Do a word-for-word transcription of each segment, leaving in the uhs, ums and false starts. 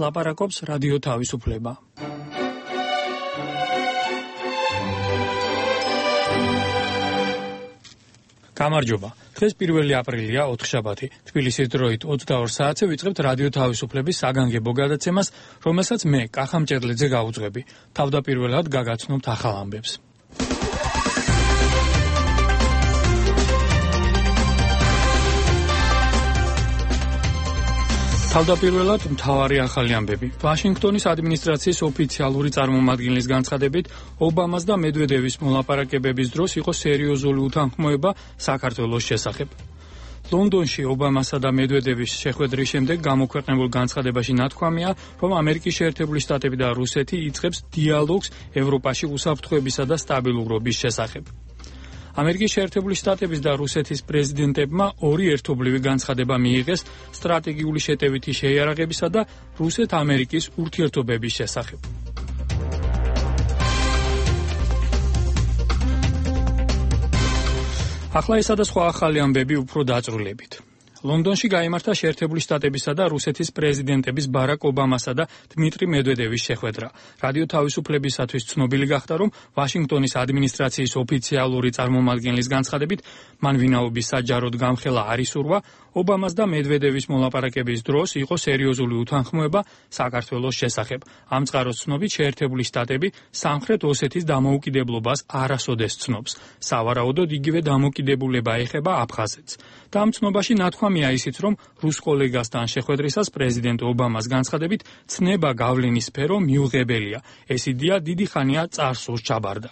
ლაპარაკობს რადიო თავისუფლება. გამარჯობა. დღეს პირველი აპრილია, ოთხშაბათი. თბილისის დროით ოცდაორ საათზე ვიწყებთ რადიო თავისუფლების საგანგებო გადაცემას, რომელსაც მე, კახა მჭედლიძე გავუძღვები. თავდაპირველად გაგაცნობთ ახალ ამბებს. თავდაპირველად მთავარი ახალი ამბები. ვაშინგტონის ადმინისტრაციის ოფიციალური წარმომადგენლის განცხადებით, ობამას და მედვედევის მოლაპარაკებების დროს იყო სერიოზული უთანხმოება საქართველოს შესახებ. ლონდონში ობამასა და მედვედევის შეხვედრის შემდეგ გამოქვეყნებულ განცხადებაში ნათქვამია, რომ ამერიკის შეერთებული შტატები და რუსეთი იწყებს დიალოგს ევროპაში უსაფრთხოებისა და სტაბილურობის შესახებ. ამერიკის შეერთებული შტატების და რუსეთის პრეზიდენტებმა ორი ერთობლივი განცხადება მიიღეს სტრატეგიული შეტევითი შეიარაღებისა და რუსეთ-ამერიკის ურთიერთობების შესახებ. ახლა ესა და სხვა ახალი ამბები უფრო დაწვრილებით. ლონდონში გაიმართა შეერთებული შტატებისა და რუსეთის პრეზიდენტების ბარაკ ობამასა და დმიტრი მედვედევის შეხვედრა. რადიო თავისუფლებისათვის ცნობილი გახდა, რომ ვაშინგტონის ადმინისტრაციის ოფიციალური წარმომადგენლის განცხადებით, მან ვინაობის საჯაროდ გამხელა არ ისურვა, ობამას და მედვედევის მოლაპარაკების დროს იყო სერიოზული უთანხმოება საქართველოს შესახებ. ამ წყაროს ცნობით შეერთებული შტატები სამხრეთ ოსეთის დამოუკიდებლობას არასოდეს ცნობს. სავარაუდოდ იგივე დამოუკიდებულება ეხება აფხაზეთს. და ამ ცნობაში ნათქვამია ისიც, რომ რუს კოლეგასთან შეხვედრისას პრეზიდენტ ობამას განცხადებით ცნება გავლენის სფერო მიუღებელია. ეს იდეა დიდი ხანია წარსულს ჩაბარდა.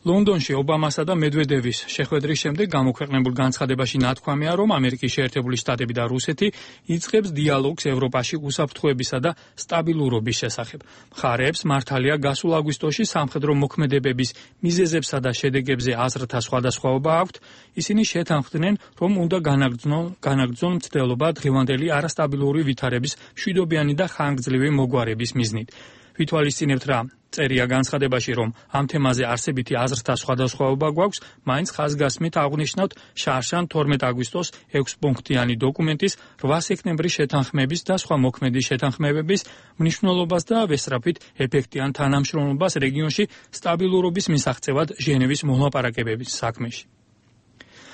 ლონდონში ობამასა და მედვედევის შეხვედრის შემდეგ გამოქვეყნებულ განცხადებაში ნათქვამია, რომ ამერიკის შეერთებული შტატები და რუსეთი იწყებს დიალოგს ევროპაში უსაფრთხოებისა და სტაბილურობის შესახებ. მხარეებს მართალია გასულ აგვისტოში სამხედრო მოქმედებების მიზეზებსა და შედეგებზე აზრთა სხვადასხვაობა აქვთ. ისინი შეთანხმდნენ, რომ უნდა განაგრძნონ განაგრძნონ მცდელობა დღევანდელი არასტაბილური ვითარების მშვიდობიანი და ხანგრძლივი მოგვარების მიზნით. ვითვალისწინებთ რა წერია განცხადებაში, რომ ამ თემაზე არსებითი აზრთა სხვადასხვაობა გვაქვს, მაინც ხაზგასმით აღვნიშნავთ შარშან თორმეტ აგვისტოს ექვსპუნქტიანი დოკუმენტის რვა სექტემბრის შეთანხმების და სხვა მოქმედი შეთანხმებების მნიშვნელობას და ვესწრაფვით ეფექტიან თანამშრომლობას რეგიონში სტაბილურობის მისაღწევად ჟენევის მოლაპარაკებების საქმეში.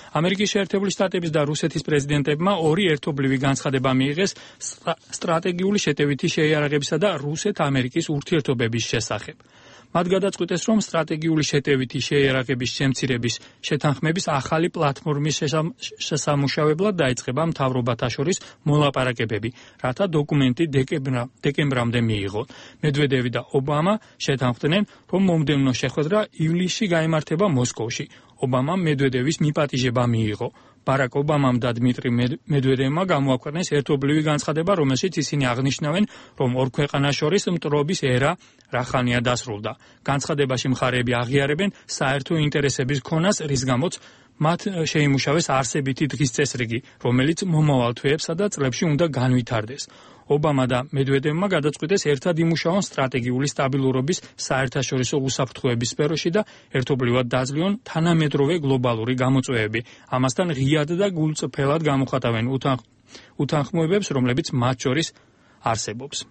ამერიკის შეერთებული შტატების და რუსეთის პრეზიდენტებმა ორი ერთობლივი განცხადება მიიღეს სტრატეგიული შეტევითი შეიარაღებისა და რუსეთ-ამერიკის ურთიერთობების შესახებ. მათ გადაწყვიტეს, რომ სტრატეგიული შეტევითი შეიარაღების შემცირების შეთანხმების ახალი პლატფორმის შესამუშავებლად დაიწყება მთავრობათა შორის მოლაპარაკებები, რათა დოკუმენტი დეკემბრამდე მიიღონ. მედვედევი და ობამა შეთანხმდნენ, რომ მომდევნო შეხვედრა ივლისში გაიმართება მოსკოვში. ობამამ მედვედევის მიპატიჟება მიიღო. ბარაკ ობამამ და დმიტრი მედვედევმა გამოაქვეყნეს ერთობლივი განცხადება, რომელშიც ისინი აღნიშნავენ, რომ ორ ქვეყანას შორის მტრობის ერა რახანია დასრულდა. განცხადებაში მხარეები აღიარებენ საერთო ინტერესების ქონას, რის გამოც მათ შეიმუშავეს არსებითი დღის წესრიგი, რომელიც მომავალ თვეებსა და წლებში უნდა განვითარდეს. ობამა და მედვედევმა გადაწყვიტეს ერთად იმუშაონ სტრატეგიული სტაბილურობის საერთაშორისო უსაფრთხოების სფეროში და ერთობლივად დაძლევონ თანამედროვე გლობალური გამოწვევები. ამასთან ღიად და გულწრფელად გამოხატავენ უთანხმოებებს, რომლებიც მათ შორის არსებობს.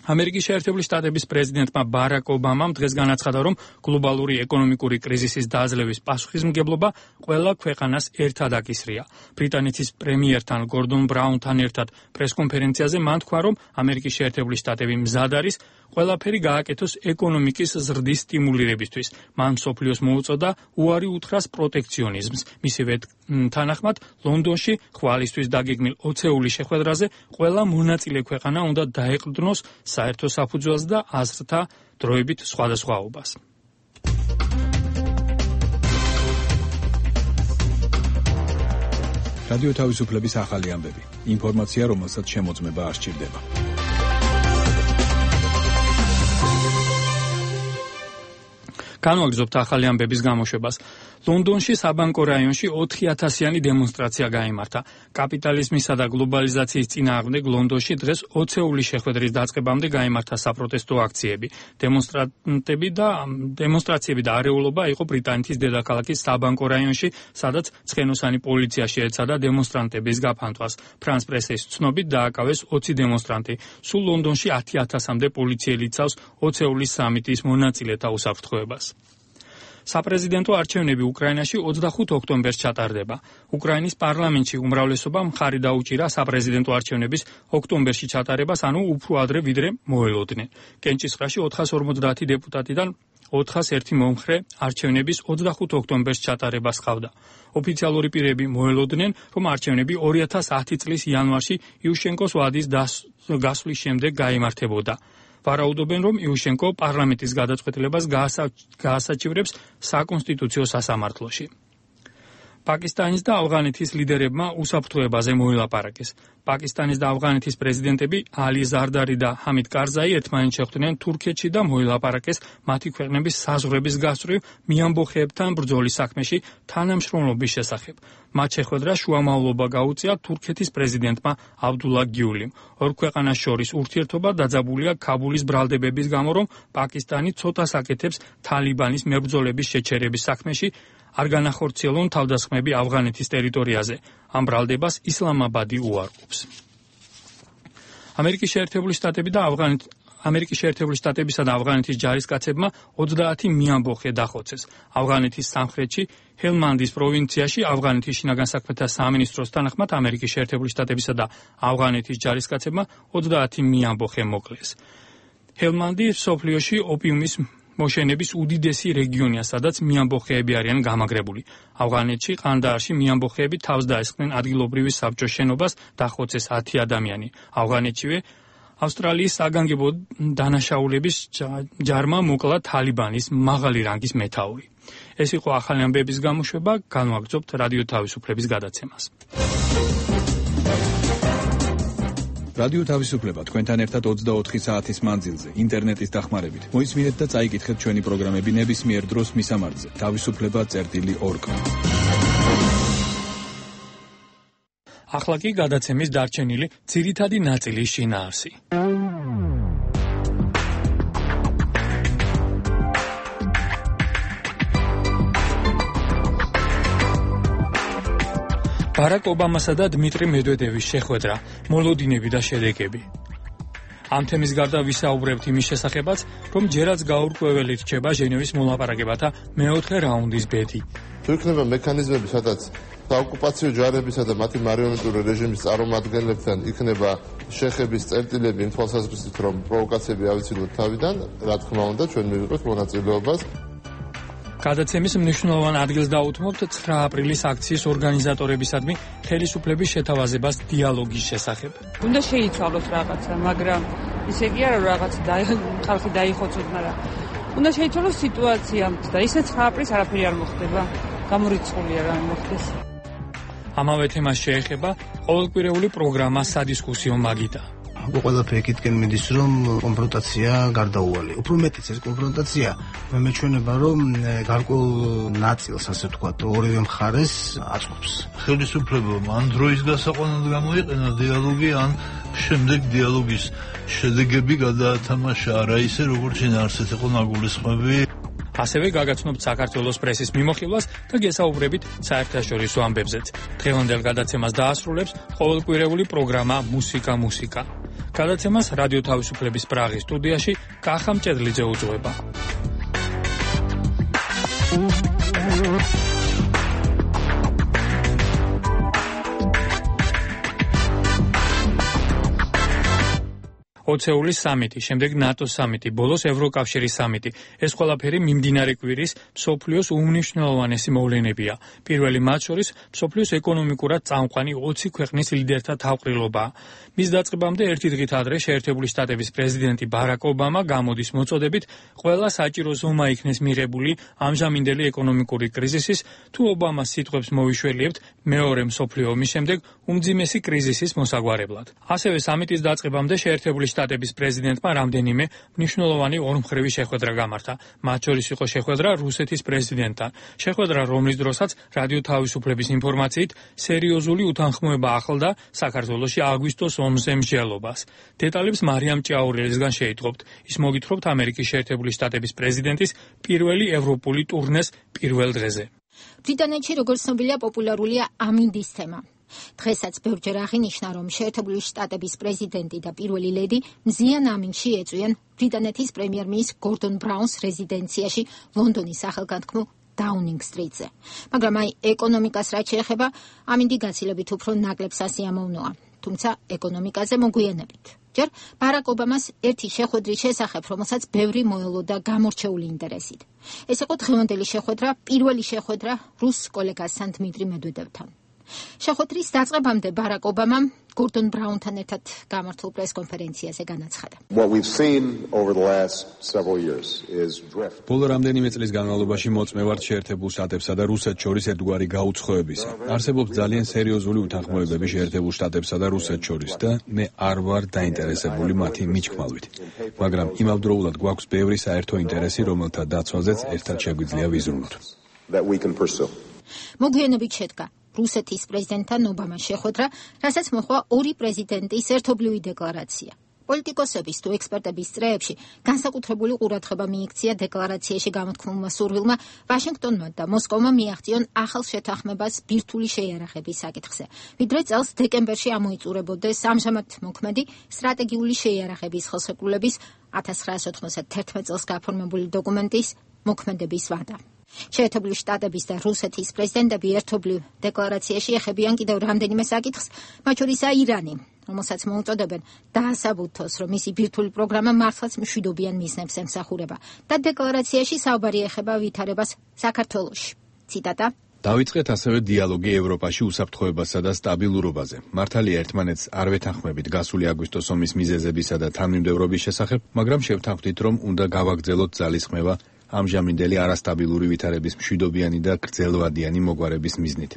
ამერიკის შეერთებული შტატების პრეზიდენტმა ბარაკ ობამამ დღეს განაცხადა, რომ გლობალური ეკონომიკური კრიზისის დაძლევის პასუხისმგებლობა ყველა ქვეყანას ერთად აკისრია. ბრიტანეთის პრემიერთან გორდონ ბრაუნთან ერთად პრესკონფერენციაზე მან თქვა, რომ ამერიკის შეერთებული შტატები მზად არის ყველაფერი გააკეთოს ეკონომიკის ზრდის სტიმულირებისთვის. მან მსოფლიოს მოუწოდა უარი უთხრას პროტექციონიზმს. მისივე თანახმად, ლონდონში ხვალისთვის დაგეგმილ ოცეული შეხვედრაზე ყველა მონაწილე ქვეყანა უნდა დაეყრდნოს საერთო საფუძველს და აზრთა დროებით სხვადასხვაობას. რადიო თავისუფლების ახალი ამბები. ინფორმაცია, რომელსაც შემოწმება არ სჭირდება. განვაგრძობთ ახალი ამბების გამოშვებას. ლონდონში საბანკო რაიონში ოთხი ათასიანი დემონსტრაცია გაიმართა. კაპიტალიზმისა და გლობალიზაციის წინააღმდეგ ლონდონში დღეს ოცეულის შეხვედრის დაწყებამდე გაიმართა საპროტესტო აქციები. დემონსტრანტები და დემონსტრაციები და არეულობა იყო ბრიტანეთის დედაქალაქის საბანკო რაიონში, სადაც ცხენოსანი პოლიცია შეეცადა დემონსტრანტების გაფანტვას. ფრანს პრესის ცნობით დააკავეს ოცი დემონსტრანტი. სულ ლონდონში ათი ათასამდე პოლიციელი იცავს ოცეულის სამიტის მონაწილეთა უსაფრთხოებას. საპრეზიდენტო არჩევნები უკრაინაში ოცდახუთ ოქტომბერს ჩატარდება. უკრაინის პარლამენტში უმრავლესობამ მხარი დაუჭირა საპრეზიდენტო არჩევნების ოქტომბერში ჩატარებას, ანუ უფრო ადრე ვიდრე მოელოდნენ. კენჭისყრაში ოთხას ორმოცდაათი დეპუტატიდან ოთხას ერთი მომხრე არჩევნების ოცდახუთ ოქტომბერს ჩატარებას ხავდა. ოფიციალური პირები მოელოდნენ, რომ არჩევნები ორი ათას ათი წლის იანვარში იუშენკოს ვადის გასვლის შემდეგ გაიმართებოდა. ვარაუდობენ, რომ იუშენკო პარლამენტის გადაწყვეტილებას გაასაჩივრებს საკონსტიტუციო სასამართლოში. პაკისტანის და ავღანეთის ლიდერებმა უსაფრთხოებაზე მოილაპარაკეს. პაკისტანის და ავღანეთის პრეზიდენტები ალი ზარდარი და ჰამიდ კარზაი ერთმანეთს შეხვდნენ თურქეთში და მოილაპარაკეს მათი ქვეყნების საზღვრების გასწვრივ მიამბოხეებთან ბრძოლის საქმეში თანამშრომლობის შესახებ. მათ შეხვედრას შუამავლობა გაუწია თურქეთის პრეზიდენტმა აბდულა გიულიმ. ორ ქვეყანას შორის ურთიერთობა დაძაბულია ქაბულის ბრალდებების გამო, რომ პაკისტანი ცოტას აკეთებს თალიბანის მებრძოლების შეჩერების საქმეში, არ განახორციელონ თავდასხმები ავღანეთის ტერიტორიაზე. ამ ბრალდებას ისლამაბადი უარყოფს. ამერიკის შეერთებული შტატები და ავღანეთი ამერიკის შეერთებული შტატებისა და ავღანეთის ჯარისკაცებმა ოცდაათი მიამბოხე დახოცეს. ავღანეთის სამხრეთში ჰელმანდის პროვინციაში ავღანეთის შინაგან საქმეთა სამინისტროს თანახმად ამერიკის შეერთებული შტატებისა და ავღანეთის ჯარისკაცებმა ოცდაათი მიამბოხე მოკლეს. ჰელმანდი სოფლიოში ოპიუმის მოშენების უდიდესი რეგიონია, სადაც მიამბოხეები არიან გამაგრებული. ავღანეთში ყანდაარში მიამბოხეები თავს დაესხნენ ადგილობრივი საბჭოს შენობას, დახოცეს ათი ადამიანი. ავღანეთშივე ავსტრალიის საგანგებო დანაშაულების ჯარმა მოკლა თალიბანის მაღალი რანგის მეთაური. ეს იყო ახალი ამბების გამოშვება, განვაგრძობთ რადიო თავისუფლების გადაცემას. რადიო თავისუფლება თქვენთან ერთად ოცდაოთხი საათის მანძილზე, ინტერნეტის დახმარებით. მოისმინეთ და წაიკითხეთ ჩვენი პროგრამები ნებისმიერ დროს მისამართზე. თავისუფლება წერტილი ორ. ახლა კი გადაცემის დარჩენილი ძირითადი ნაწილის შინაარსი. ბარაკ ობამასა და დმიტრი მედვედევის შეხვედრა, მოლოდინები და შედეგები. ამ თემის გარდა ვისაუბრებთ იმის შესახებაც, რომ ჯერაც გაურკვეველი რჩება ჟენევის მოლაპარაკებათა მეოთხე რაუნდის ბედი. თუ იქნება მექანიზმები, სადაც საოკუპაციო ჯარებისა და მათი მარიონეტული რეჟიმის წარმომადგენლებთან იქნება შეხების წერტილები იმ თვალსაზრისით, რომ პროვოკაციები ავიცილოთ თავიდან, რა თქმა უნდა, ჩვენ მივიღებთ მონაწილეობას. გადაცემის მნიშვნელოვან ადგილს დაუთმობთ ცხრა აპრილის აქციის ორგანიზატორებისადმი ხელისუფლების შეთავაზებას დიალოგის შესახებ. უნდა შეიცვალოს რაღაცა, მაგრამ ისე კი არა, რაღაც ხალხი დაიხოცოთ, მაგრამ უნდა შეიცვალოს სიტუაცია და ისე ცხრა აპრილს არაფერი არ მოხდება. გამორიცხულია რა მოხდეს. ამავე თემას შეეხება ყოველკვირეული პროგრამა სადისკუსიო მაგიდა. ყველაფერი იქითკენ მიდის, რომ კონფრონტაცია გარდაუვალი. უფრო მეტიც ეს კონფრონტაცია მე მეჩვენება, რომ გარკვეულ ნაწილს, ასე ვთქვათ, ორივე მხარეს აწყობს. ხელისუფლებამ ან დროის გასაყვანად გამოიყენა დიალოგი, ან შემდეგ დიალოგის შედეგები გადაათამაშა არა ისე, როგორც შინაარსით იყო ნაგულისხმები. ასევე გაგაცნობთ საქართველოს პრესის მიმოხილვას და გესაუბრებით საერთაშორისო ამბებზეც. დღევანდელ გადაცემას დაასრულებს ყოველკვირეული პროგრამა მუსიკა მუსიკა. გადაცემას რადიო თავისუფლების პრაღის სტუდიაში კახა მჭედლიძე უძღვება. ოცეულის სამიტი, შემდეგ ნატოს სამიტი, ბოლოს ევროკავშირის სამიტი. ეს ყველაფერი მიმდინარე კვირის მსოფლიოს უმნიშვნელოვანესი მოვლენებია. პირველი მათ შორის მსოფლიოს ეკონომიკურად წამყვანი ოცი ქვეყნის ლიდერთა თავყრილობაა. მის დაწყებამდე ერთი დღით ადრე შეერთებული შტატების პრეზიდენტი ბარაკ ობამა გამოდის მოწოდებით ყველა საჭირო ზომა იქნეს მიღებული ამჟამინდელი ეკონომიკური კრიზისის, თუ ობამას სიტყვებს მოვიშველიებთ მეორე მსოფლიო ომის შემდეგ უმძიმესი კრიზისის მოსაგვარებლად. ასევე სამიტის დაწყებამდე შეერთებული შტატების პრეზიდენტმა რამდენიმე მნიშვნელოვანი ორმხრივი შეხვედრა გამართა. მათ შორის იყო შეხვედრა რუსეთის პრეზიდენტთან. შეხვედრა, რომლის დროსაც რადიო თავისუფლების ინფორმაციით სერიოზული უთანხმოება ახლდა საქართველოში აგვისტოს ომზე მსჯელობას. დეტალებს მარიამ ჭიაურელისგან შეიტყობთ. ის მოგითხრობთ ამერიკის შეერთებული შტატების პრეზიდენტის პირველი ევროპული ტურნეს პირველ დღეზე. ბრიტანეთში როგორც ცნობილია პოპულარულია ამინდის თემა. დღესაც ბევრჯერ აღინიშნა, რომ შეერთებული შტატების პრეზიდენტი და პირველი ლედი მზიან ამინდში ეწვიან ბრიტანეთის პრემიერ-მინისტრ გორდონ ბრაუნს რეზიდენციაში ლონდონის სახელგანთქმულ დაუნინგ სტრიტზე. მაგრამ აი ეკონომიკას რაც შეეხება, ამინდი გაცილებით უფრო ნაკლებ სასიამოვნოა. თუმცა ეკონომიკაზე მოგვიანებით. ჯერ ბარაკ ობამას ერთი შეხვედრის შესახებ, რომელსაც ბევრი მოელოდა გამორჩეული ინტერესით. ეს იყო დღევანდელი შეხვედრა, პირველი შეხვედრა რუს კოლეგასთან დმიტრი მედვედევთან. შეხვედრის დაწყებამდე ბარაკ ობამამ გორდონ ბრაუნთან ერთად გამართულ პრესკონფერენციაზე განაცხადა. ბოლო რამდენიმე წლის განმავლობაში მოწმე ვართ შეერთებულ შტატებსა და რუსეთს შორის ერთგვარი გაუცხოებისა. არსებობს ძალიან სერიოზული უთანხმოებები შეერთებულ შტატებსა და რუსეთს შორის და მე არ ვარ დაინტერესებული მათი მიჩქმალვით. მაგრამ იმავდროულად გვაქვს ბევრი საერთო ინტერესი, რომელთა დაცვაზეც ერთად შეგვიძლია ვიზრუნოთ. მოგვიანებით შედგა რუსეთის პრეზიდენტთან ობამას შეხვედრა, რასაც მოჰყვა ორი პრეზიდენტის ერთობლივი დეკლარაცია. პოლიტიკოსების თუ ექსპერტების წრეებში განსაკუთრებული ყურადღება მიიქცია დეკლარაციაში გამოთქმულმა სურვილმა ვაშინგტონმა და მოსკოვმა მიაღწიონ ახალ შეთანხმებას ბირთვული შეიარაღების საკითხზე. ვიდრე წელს დეკემბერში ამოიწურებოდეს ამჟამად მოქმედი სტრატეგიული შეიარაღების ხელშეკრულების ათას ცხრაასი ოცდაათი წელს გაფორმებული დოკუმენტის მოქმედების ვადა. შეერთებული შტატების და რუსეთის პრეზიდენტები ერთობლივ დეკლარაციაში ეხებიან კიდევ რამდენიმე საკითხს, მათ შორისაა ირანი, რომელსაც მოუწოდებენ დაასაბუთოს, რომ მისი ბირთვული პროგრამა მართლაც მშვიდობიან მიზნებს ემსახურება და დეკლარაციაში საუბარი ეხება ვითარებას საქართველოში. ციტატა: დავიწყეთ ასევე დიალოგი ევროპაში უსაფრთხოებასა და სტაბილურობაზე. მართალია ერთმანეთს არ ვეთანხმებით გასული აგვისტოს ომის მიზეზებისა და თანმიმდევრობის შესახებ, მაგრამ შევთანხმდით, რომ უნდა გავაგრძელოთ ძალისხმევა ამჟამინდელი არასტაბილური ვითარების მშვიდობიანი და გრძელვადიანი მოგვარების მიზნით.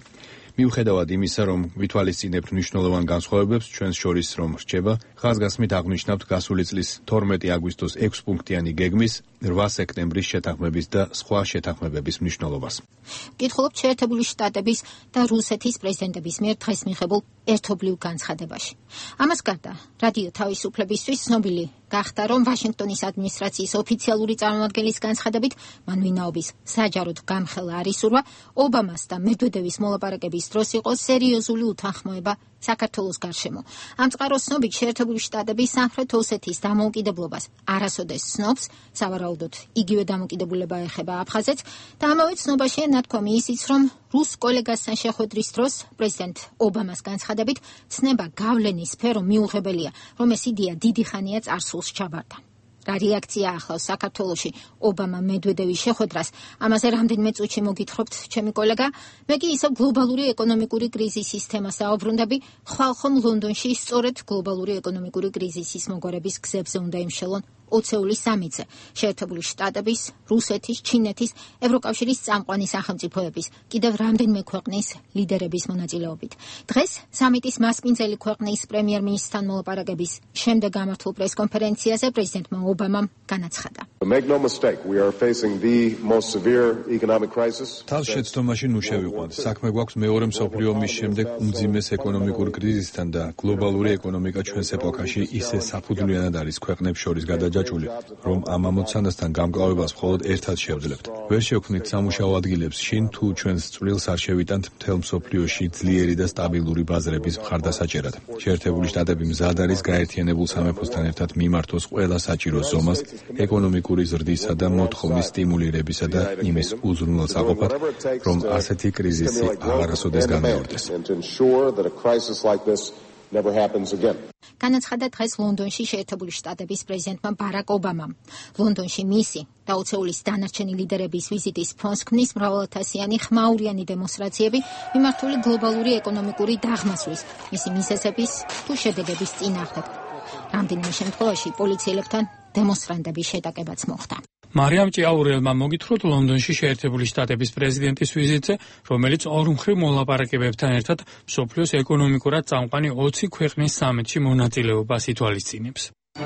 მიუხედავად იმისა, რომ ვითვალისწინებთ მნიშვნელოვან განსხვავებებს ჩვენს შორის რომ რჩება, ხაზგასმით აღნიშნავთ გასული წლის თორმეტი აგვისტოს ექვსპუნქტიანი გეგმის რვა სექტემბრის შეთანხმების და სხვა შეთანხმებების მნიშვნელობას. ვკითხულობთ შეერთებული შტატების და რუსეთის პრეზიდენტების მიერ დღეს მიღებულ ერთობლივ განცხადებაში. ამას გარდა, რადიო თავისუფლებისთვის ცნობილი გახდა, რომ ვაშინგტონის ადმინისტრაციის ოფიციალური წარმომადგენლის განცხადებით, მან ვინაობის საჯაროდ გამხელა არ ისურვა, ობამას და მედვედევის მოლაპარაკების დროს იყო სერიოზული უთანხმოება საქართველოს გარშემო. ამ წყაროს ცნობით შეერთებული შტატები სამხრეთ ოსეთის დამოუკიდებლობას არასოდეს ცნობს, სავარაუდოდ იგივე დამოუკიდებლობა ეხება აფხაზეთს და ამავე ცნობაშია ნათქვამი ისიც, რომ რუს კოლეგასთან შეხვედრის დროს პრეზიდენტ ობამას განცხადებით ცნება გავლენის სფერო მიუღებელია, რომ ეს იდეა დიდი ხანია წარსულს ჩაბარდა. რა რეაქცია ახლავს საქართველოში ობამა მედვედევის შეხვედრას, ამაზე რამდენიმე წუთში მოგითხრობთ ჩემი კოლეგა. მე კი ისევ გლობალური ეკონომიკური კრიზისის თემას დაუბრუნდები. ხვალხომ ლონდონში სწორედ გლობალური ეკონომიკური კრიზისის მოგვარების გზებზე უნდა იმშელონ ოცეული სამიტზე შეერთებული შტატების, რუსეთის, ჩინეთის, ევროკავშირის წამყვანი სახელმწიფოების, კიდევ რამდენიმე ქვეყნის ლიდერების მონაწილეობით. დღეს სამიტის მასპინძელი ქვეყნის პრემიერ-მინისტრთან მოლაპარაკების შემდეგ გამართულ პრესკონფერენციაზე პრეზიდენტმა ობამამ განაცხადა. თავს შეცდომაში ნუ შევიყვანთ. საქმე გვაქვს მეორე მსოფლიო ომის შემდეგ უმძიმეს ეკონომიკურ კრიზისთან და გლობალური ეკონომიკა ჩვენს ეპოქაში ისე საფუძვლიანად არის ქვეყნებს შორის გადაჯაჭვული, რომ ამ ამოცანასთან გამკლავებას მხოლოდ ერთად შევძლებთ. ვერ შევქმნით სამუშაო ადგილებს შინ, თუ ჩვენს წვლილს არ შევიტანთ მთელ მსოფლიოში ძლიერი და სტაბილური ბაზრების მხარდასაჭერად. შეერთებული შტატები მზად არის გაერთიანებულ სამეფოსთან ერთად მიმართოს ყველა საჭირო ზომას ეკონომიკური ზრდისა და მოთხოვნის სტიმულირებისა და იმის უზრუნველსაყოფად, რომ ასეთი კრიზისი აღარასოდეს განმეორდეს. განაცხადა დღეს ლონდონში შეერთებული შტატების პრეზიდენტმა ბარაკ ობამამ. ლონდონში მისი და ოცეულის დანარჩენი ლიდერების ვიზიტის ფონს ქმნის მრავალათასიანი ხმაურიანი დემონსტრაციები მიმართული გლობალური ეკონომიკური დაღმასვლის, მისი მიზეზების თუ შედეგების წინააღმდეგ. რამდენიმე შემთხვევაში პოლიციელებთან დემონსტრანტების შეტაკებაც მოხდა. მარიამ ჭიაურელმა მოგითხროთ ლონდონში შეერთებული შტატების პრეზიდენტის ვიზიტზე, რომელიც ორმხრივ მოლაპარაკებებთან ერთად მსოფლიოს ეკონომიკურად წამყვანი ოცი ქვეყნის სამიტში მონაწილეობას ითვალისწინებს. ობამა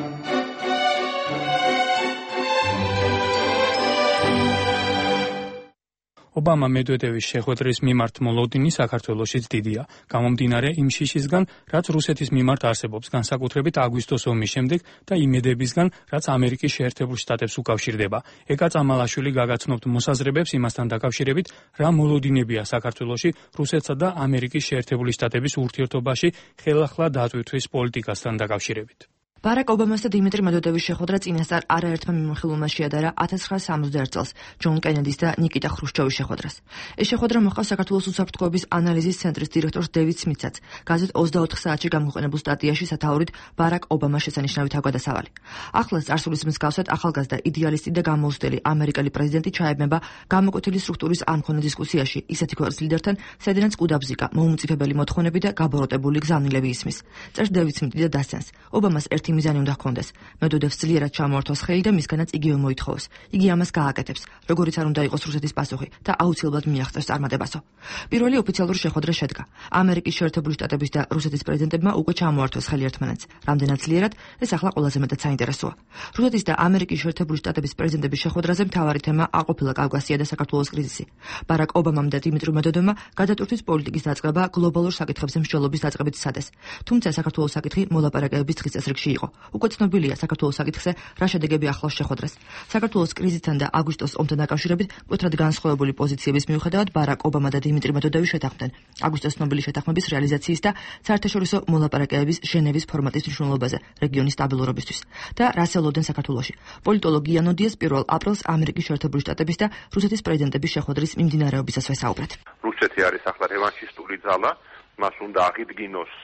მედვედევის შეხვედრის მიმართ მოლოდინი საქართველოშიც დიდია. გამომდინარე იმ შიშისგან, რაც რუსეთის მიმართ არსებობს, განსაკუთრებით აგვისტოს ომის შემდეგ და იმედებისგან, რაც ამერიკის შეერთებულ შტატებს უკავშირდება. ეკა წამალაშვილი გაგაცნობთ მოსაზრებებს იმასთან დაკავშირებით, რა მოლოდინებია საქართველოში რუსეთსა და ამერიკის შეერთებული შტატების ურთიერთობაში ხელახლა დატვირთვის პოლიტიკასთან დაკავშირებით. ბარაკ ობამას და დიმიტრი მედვედევის შეხვედრა წინასწარ არაერთმა მიმოხილვმა შეადარა ათას ცხრაასი სამოცდაერთ წელს ჯონ კენედის და ნიკიტა ხრუშჩოვის შეხვედრას. ეს შეხვედრა მოჰყავს საქართველოს უსაფრთხოების ანალიზის ცენტრის დირექტორს დევიდ სმითსაც გაზეთ ოცდაოთხ საათში გამოქვეყნებულ სტატიაში სათაურით ბარაკ ობამას შესანიშნავი თავგადასავალი. ახლაც წარსულის მსგავსად ახალგაზრდა იდეალისტი და გამოუცდელი ამერიკელი პრეზიდენტი ჩაებმება გამოკვეთილი სტრუქტურის არ მქონე დისკუსიაში ისეთი ქვეყნის ლიდერთან, სადაც კუდაბზიკა, მოუმწიფებელი მოთხოვნები და გაბოროტებული გზავნილები ისმის. წერს დევიდ სმითი და დასცენს. ობამას ერთი მიზანი უნდა ჰქონდეს. მედვედევს ძლიერად ჩამოართვას ხელი და მისგანაც იგივე მოითხოვოს. იგი ამას გააკეთებს, როგორიც არ უნდა იყოს რუსეთის პასუხი და აუცილებლად მიაღწევს წარმატებასო. პირველი ოფიციალური შეხვედრა შედგა. ამერიკის შეერთებული შტატების და რუსეთის პრეზიდენტებმა უკვე ჩამოართვეს ხელი ერთმანეთს. რამდენად ძლიერად, ეს ახლა ყველაზე მეტად საინტერესოა. რუსეთის და ამერიკის შეერთებული შტატების პრეზიდენტების შეხვედრაზე მთავარი თემა არ ყოფილა კავკასია და საქართველოს კრიზისი. ბარაკ ობამამ და დიმიტრი მედვედევმა გადატვირთვის პოლიტიკის დაწყება გლობალურ საკითხებზე მსჯელობის დაწყებით სცადეს. თუმცა საქართველოს საკითხი მოლაპარაკებების დღის წესრიგში იყო. უკვე ცნობილია საქართველოს საკითხზე რა შედეგები ახლავს შეხვედრას. საქართველოს კრიზისთან და აგვისტოს ომთან დაკავშირებით მკვეთრად განსხვავებული პოზიციების მიუხედავად ბარაკ ობამა და დიმიტრი მედვედევი შეთანხმდნენ აგვისტოს ცნობილი შეთანხმების რეალიზაციის და საერთაშორისო მოლაპარაკებების ჟენევის ფორმატის მნიშვნელობაზე რეგიონის სტაბილურობისთვის და რას ელოდნენ საქართველოში. პოლიტოლოგი იანო დიას პირველ აპრილს ამერიკის შეერთებული შტატების და რუსეთის პრეზიდენტების შეხვედრის მიმდინარეობისას ვესაუბრეთ. რუსეთი არის ახლა რევანშისტული ძალა, მას უნდა აღიდგინოს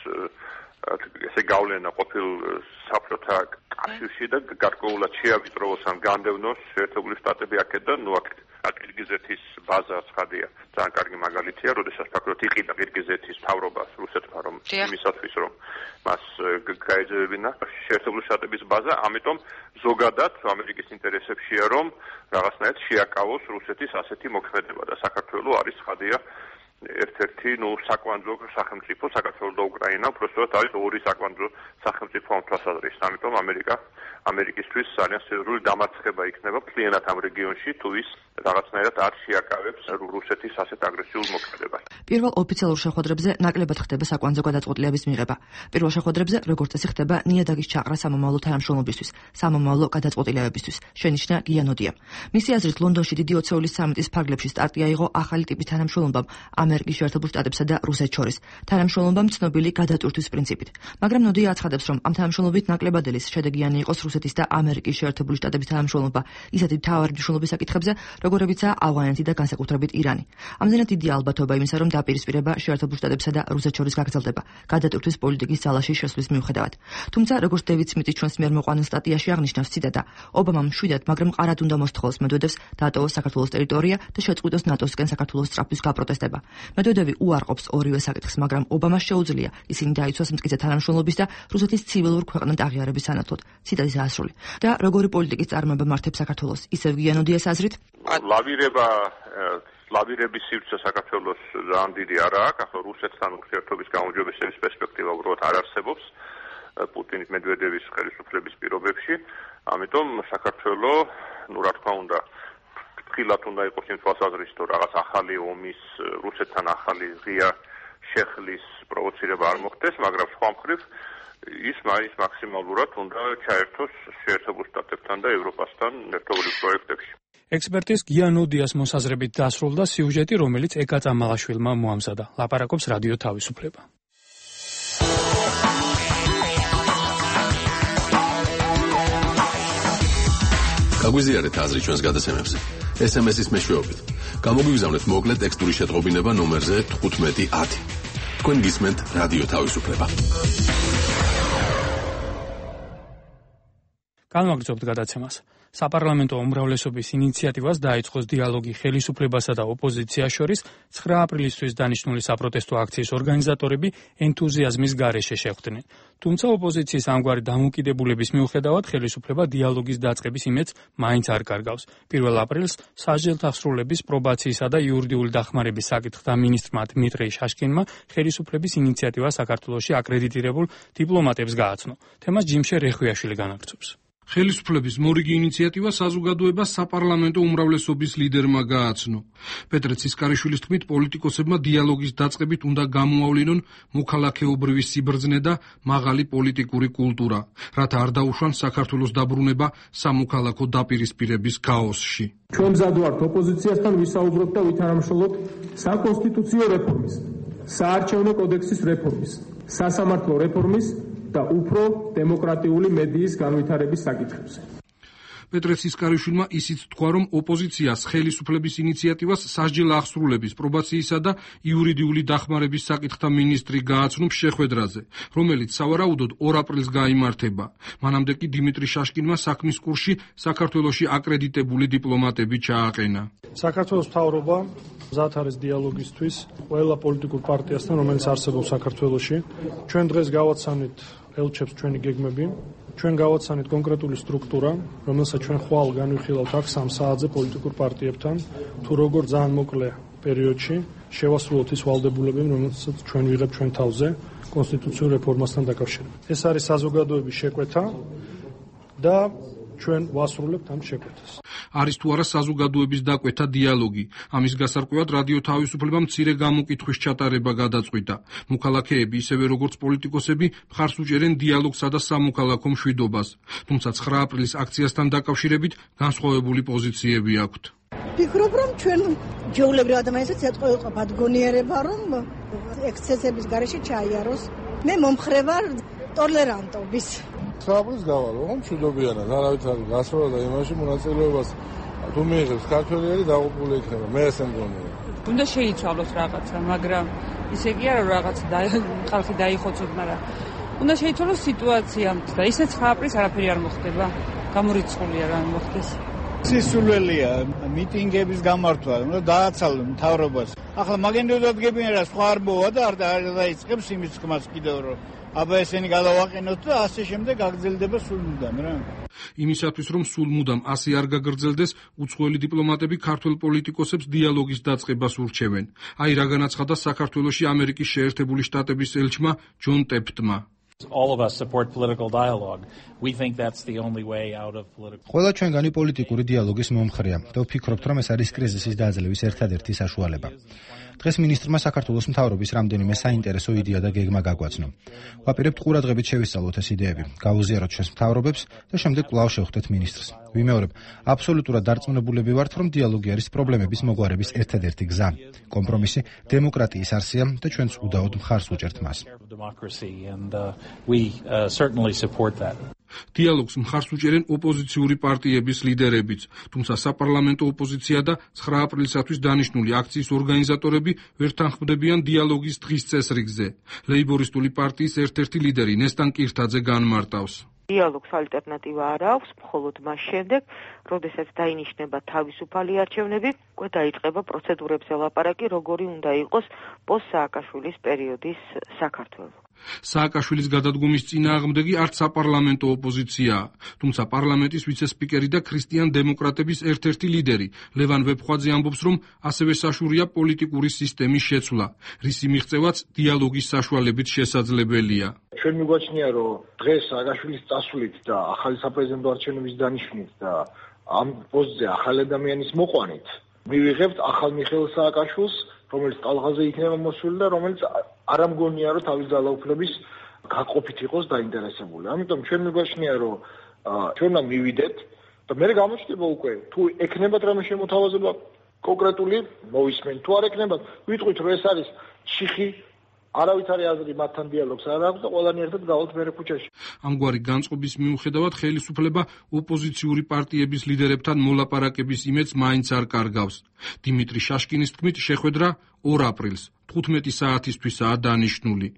ესე გავლენა ყოფილ საბჭოთა კავშირში და გარკვეულად შეავიწროვოს ან განდევნოს შეერთებული შტატები აქედან, ნუ აქ ყირგიზეთის ბაზა ცხადია, ძალიან კარგი მაგალითია, როდესაც ფაქტობრივად იყიდა ყირგიზეთის მთავრობას რუსეთმა, რომ იმისათვის რომ მას გაეძევებინა შეერთებული შტატების ბაზა, ამიტომ ზოგადად ამერიკის ინტერესებშია, რომ რაღაცნაირად შეაკავოს რუსეთის ასეთი მოქმედება და საქართველოს არის ცხადია ერთ-ერთი ნუ საკვანძო სახელმწიფო, საქართველოს და უკრაინა, უბრალოდ არის ორი საკვანძო სახელმწიფო ამ თვალსაზრისით. ამიტომ ამერიკა ამერიკისთვის ძალიან სერიოზული დამარცხება იქნება მთლიანად ამ რეგიონში, თუ ის რაღაცნაირად არ შეაკავებს რუსეთის ასეთ აგრესიულ მოქმედებას. პირველ ოფიციალურ შეხვედრებზე ნაკლებად ხდება საკვანძო გადაწყვეტილებების მიღება. პირველ შეხვედრებზე როგორც წესი ხდება ნიადაგის ჩაყრა სამომავლო თანამშრომლობისთვის, სამომავლო გადაწყვეტილებებისთვის, შენიშნა გიანოდიამ. მისი აზრით ლონდონში დიდი ოცეულის სამიტის ფარგლებში სტარტი აიღო ახალი ტიპის თანამშრომლობამ ამერიკის შეერთებულ შტატებსა და რუსეთს შორის. თანამშრომლობამ ცნობილი გადატვირთვის პრინციპით. მაგრამ ნოდია აცხადებს, რომ ამ თანამშრომლობით ნაკლებადელის შედეგიანი იყოს რუსეთის და ამერიკის შეერთებული შტატების თანამშრომლობა ისეთი მთავარი მნიშვნელობის საკითხებზე, როგორებიცაა ავღანეთი და განსაკუთრებით ირანი. ამდენად დიდი ალბათობა იმისა, რომ დაპირისპირება შეერთებულ შტატებსა და რუსეთს შორის გაგრძელდება გადატვირთვის პოლიტიკის ძალაში შესვლის მიუხედავად. თუმცა, როგორც დევიდ სმითი ჩვენს მიერ მოყვანილ სტატიაში აღნიშნავს, ციტატა, ობამამ მშვიდად, მაგრამ მყარად უნდა მოსთხოვოს მედვედევს დაატოვოს საქართველოს ტერიტორია და შეწყვიტოს ნატოსკენ საქართველოს სწრაფის გაპროტესტება. მედვედევი უარყოფს ორივე საკითხს, მაგრამ ობამას შეუძლია ისინი დაიცვას მტკიცე თანამშრომლობის და რუსეთის ცივილურ ქვეყნად აღიარების სანაცვლოდ. ციტატის ასრული. და როგორი პოლიტიკის წარმოება მართებს საქართველოს, ისევ გიანოდიას აზრით? ლავირება ლავირების სივრცე საქართველოს ძალიან დიდი არა აქვს, ახლა რუსეთთან ურთიერთობის გაუმჯობესების პერსპექტივა უბრალოდ არ არსებობს პუტინის მედვედევის ხელისუფლების პირობებში, ამიტომ საქართველოს, ნუ რა თქმა უნდა, ფრთხილად უნდა იყოს იმ თვალსაზრისით, რომ რაღაც ახალი ომის რუსეთთან ახალი ღია შეხლის პროვოცირება არ მოხდეს, მაგრამ სხვა მხრივ ის მაინც მაქსიმალურად უნდა ჩაერთოს შეერთებულ შტატებთან და ევროპასთან ერთობლივ პროექტებში. ექსპერტის გიანოდიას მოსაზრებით დასრულდა სიუჟეტი, რომელიც ეკა წამალაშვილმა მოამზადა. ლაპარაკობს რადიო თავისუფლება. გაგვიზიარეთ აზრი ჩვენს გადაცემებზე. ეს ემ ეს-ის მეშვეობით. გამოგვიგზავნეთ მოკლე ტექსტური შეტყობინება ნომერზე თხუთმეტი ათი. თქვენ გისმენთ რადიო თავისუფლება. განვაგრძობთ გადაცემას. საპარლამენტო უმრავლესობის ინიციატივას დაიწყოს დიალოგი ხელისუფლებასა და ოპოზიციას შორის ცხრა აპრილისთვის დანიშნული საპროტესტო აქციის ორგანიზატორები ენთუზიაზმის გარეშე შეხვდნენ. თუმცა ოპოზიციის ამგვარი დამოუკიდებულების მიუხედავად ხელისუფლება დიალოგის დაწყების იმედს მაინც არ კარგავს. პირველ აპრილს სასჯელთაღსრულების, პრობაციისა და იურიდიული დახმარების საკითხთა მინისტრმა დმიტრი შაშკინმა ხელისუფლების ინიციატივა საქართველოში აკრედიტირებულ დიპლომატებს გააცნო. თემას ჯიმშე რეხვიაშვილი განაგრძობს. ხელისუფლების მორიგი ინიციატივა საზოგადოებას საპარლამენტო უმრავლესობის ლიდერმა გააცნო. პეტრე ცისკარიშვილის თქმით, პოლიტიკოსებმა დიალოგის დაწყებით უნდა გამოავლინონ მოქალაქეობრივი სიბრძნე და მაღალი პოლიტიკური კულტურა, რათა არ დაუშვან საქართველოს დაბრუნება სამოქალაქო დაპირისპირების ქაოსში. ჩვენ მზად ვართ ოპოზიციასთან ვისაუბროთ და ვითანამშრომლოთ საკონსტიტუციო რეფორმის, საარჩევნო კოდექსის რეფორმის, სასამართლო რეფორმის და უფრო დემოკრატიული მედიის განვითარების საკითხებზე. პეტრე ცისკარიშვილმა ისიც თქვა, რომ ოპოზიციას ხელისუფლების ინიციატივას სასჯელ-აღსრულების, პრობაციისა და იურიდიული დახმარების საკითხთა მინისტრი გააცნობს შეხვედრაზე, რომელიც სავარაუდოდ ორ აპრილს გაიმართება. მანამდე კი დიმიტრი შაშკინმა საქმის კურსში საქართველოში აკრედიტებული დიპლომატები ჩააყენა. საქართველოს მთავრობა მზად არის დიალოგისთვის ყველა პოლიტიკურ პარტიასთან, რომელიც არსებობს საქართველოში. ჩვენ დღეს გავაცანით ელჩებს ჩვენი გეგმები. ჩვენ გავაცანით კონკრეტული სტრუქტურა, რომელსაც ჩვენ ხვალ განვიხილავთ აქ სამ საათზე პოლიტიკურ პარტიებთან, თუ როგორ ძალიან მოკლე პერიოდში შევასრულოთ ის ვალდებულებები, რომელსაც ჩვენ ვიღებთ ჩვენ თავზე კონსტიტუციურ რეფორმასთან დაკავშირებით. ეს არის საზოგადოების შეკვეთა და ჩვენ ვასრულებთ ამ შეკვეთას. არის თუ არა საზოგადოების დაკვეთა დიალოგი. ამის გასარკვევად რადიო თავისუფლება მცირე გამოკითხვის ჩატარება გადაწყვიტა. მოქალაქეები, ისევე როგორც პოლიტიკოსები, მხარს უჭერენ დიალოგსა და სამოქალაქო მშვიდობას. თუმცა ცხრა აპრილის აქციასთან დაკავშირებით განსხვავებული პოზიციები აქვთ. ვფიქრობ, რომ ჩვენ ჯეულებრივ ადამიანებსაც ეთყო იყოფ ადგონიერება, რომ ექსცესების გარეშე ჩაიაროს. მე მომხრე ვარ ტოლერანტობის. საუბრს გავალო, რომ მშვიდობიანად არავით არის გასვლა და იმაში მონაწილეობას თუ მიიღებს ქართველი დაღუპული იქნება. მე ესე მგონია. უნდა შეიცვალოს რაღაცა, მაგრამ ისე კი არა რაღაც ხალხი დაიხოცოთ, მაგრამ უნდა შეიცვალოს სიტუაცია და ისე ცხრა აპრილს არაფერი არ მოხდება. გამორიცხულია რა მოხდეს. სისულელია მიტინგების გამართვა, უნდა დააცალონ მთავრობას. ახლა მაგენდოდად გებინა რა სხვა არ მოვა და არ დაიწყებს იმის თქმას კიდევ რომ აბა ესენი გადავაყენოთ და ასე შემდეგ გაგრძელდება სულ მუდამ რა. იმისათვის რომ სულ მუდამ ასე არ გაგრძელდეს, უცხოელი დიპლომატები ქართველ პოლიტიკოსებს დიალოგის დაწყებას ურჩევენ. აი რა განაცხადა საქართველოში ამერიკის შეერთებული შტატების ელჩმა ჯონ ტეფტმა. All of us support political dialogue. We think that's the only way out of political. ყველა ჩვენგანი პოლიტიკური დიალოგის მომხრეა და ვფიქრობთ, რომ ეს არის კრიზისის დაძლევის ერთადერთი საშუალება. დღეს მინისტრმა საქართველოს მთავრობის რამდენიმე საინტერესო იდეა და გეგმა გაგვაცნო. ვაპირებთ ყურადღებით შევისწავლოთ ეს იდეები, გავუზიაროთ ჩვენს მთავრობებს და შემდეგ კვლავ შევხვდეთ მინისტრს. ვიმეორებ, აბსოლუტურად დარწმუნებულები ვართ, რომ დიალოგი არის პრობლემების მოგვარების ერთადერთი გზა. კომპრომისი დემოკრატიის არსია და ჩვენც უდაოდ მხარს ვუჭერთ მას. დიალოგს მხარს უჭერენ ოპოზიციური პარტიების ლიდერებიც, თუმცა საპარლამენტო ოპოზიცია და ცხრა აპრილისათვის დანიშნული აქციის ორგანიზატორები ვერ თანხმდებიან დიალოგის დღის წესრიგზე. ლეიბორისტული პარტიის ერთ-ერთი ლიდერი ნესტან კირთაძე განმარტავს. დიალოგს ალტერნატივა არ აქვს, მხოლოდ მას შემდეგ, როდესაც დაინიშნება თავისუფალი არჩევნები, უკვე დაიწყება პროცედურებზე ლაპარაკი, როგორი უნდა იყოს პოსტ-სააკაშვილის პერიოდის საქართველო. სააკაშვილის გადადგომის წინააღმდეგი არც საპარლამენტო ოპოზიციაა, თუმცა პარლამენტის ვიცე-სპიკერი და ქრისტიან დემოკრატების ერთ-ერთი ლიდერი ლევან ვეფხვაძე ამბობს, რომ ასევე საშურია პოლიტიკური სისტემის შეცვლა, რისი მიღწევაც დიალოგის საშუალებით შესაძლებელია. ჩვენ მიგვაჩნია, რომ დღეს სააკაშვილის წასვლით და ახალი საპრეზიდენტო არჩევნების დანიშვნით და ამ პოსტზე ახალი ადამიანის მოყვანით მივიღებთ ახალ მიხეილ სააკაშვილს, რომელიც ტალღაზე იქნება მოსული და რომელიც არ ამგონია, რომ თავის ძალაუფლების გაყოფით იყოს დაინტერესებული. ამიტომ ჩვენ მიგვაჩნია, რომ ჩვენ უნდა მივიდეთ და მე გამოჩნდება უკვე, თუ ექნებათ რამე შემოთავაზება კონკრეტული მოვისმენ, თუ არ ექნებათ, ვიტყვით, რომ ეს არის ჩიხი, არავით არის აზრი მათთან დიალოგს არ აქვს და ყველანი ერთად გავალთ მერე ქუჩაში. ამგვარი განწყობის მიუხედავად ხელისუფლება ოპოზიციური პარტიების ლიდერებთან მოლაპარაკების იმედს მაინც არ კარგავს. დიმიტრი შაშკინის თქმით, შეხვედრა ორ აპრილს თხუთმეტი საათისთვისაა დანიშნული.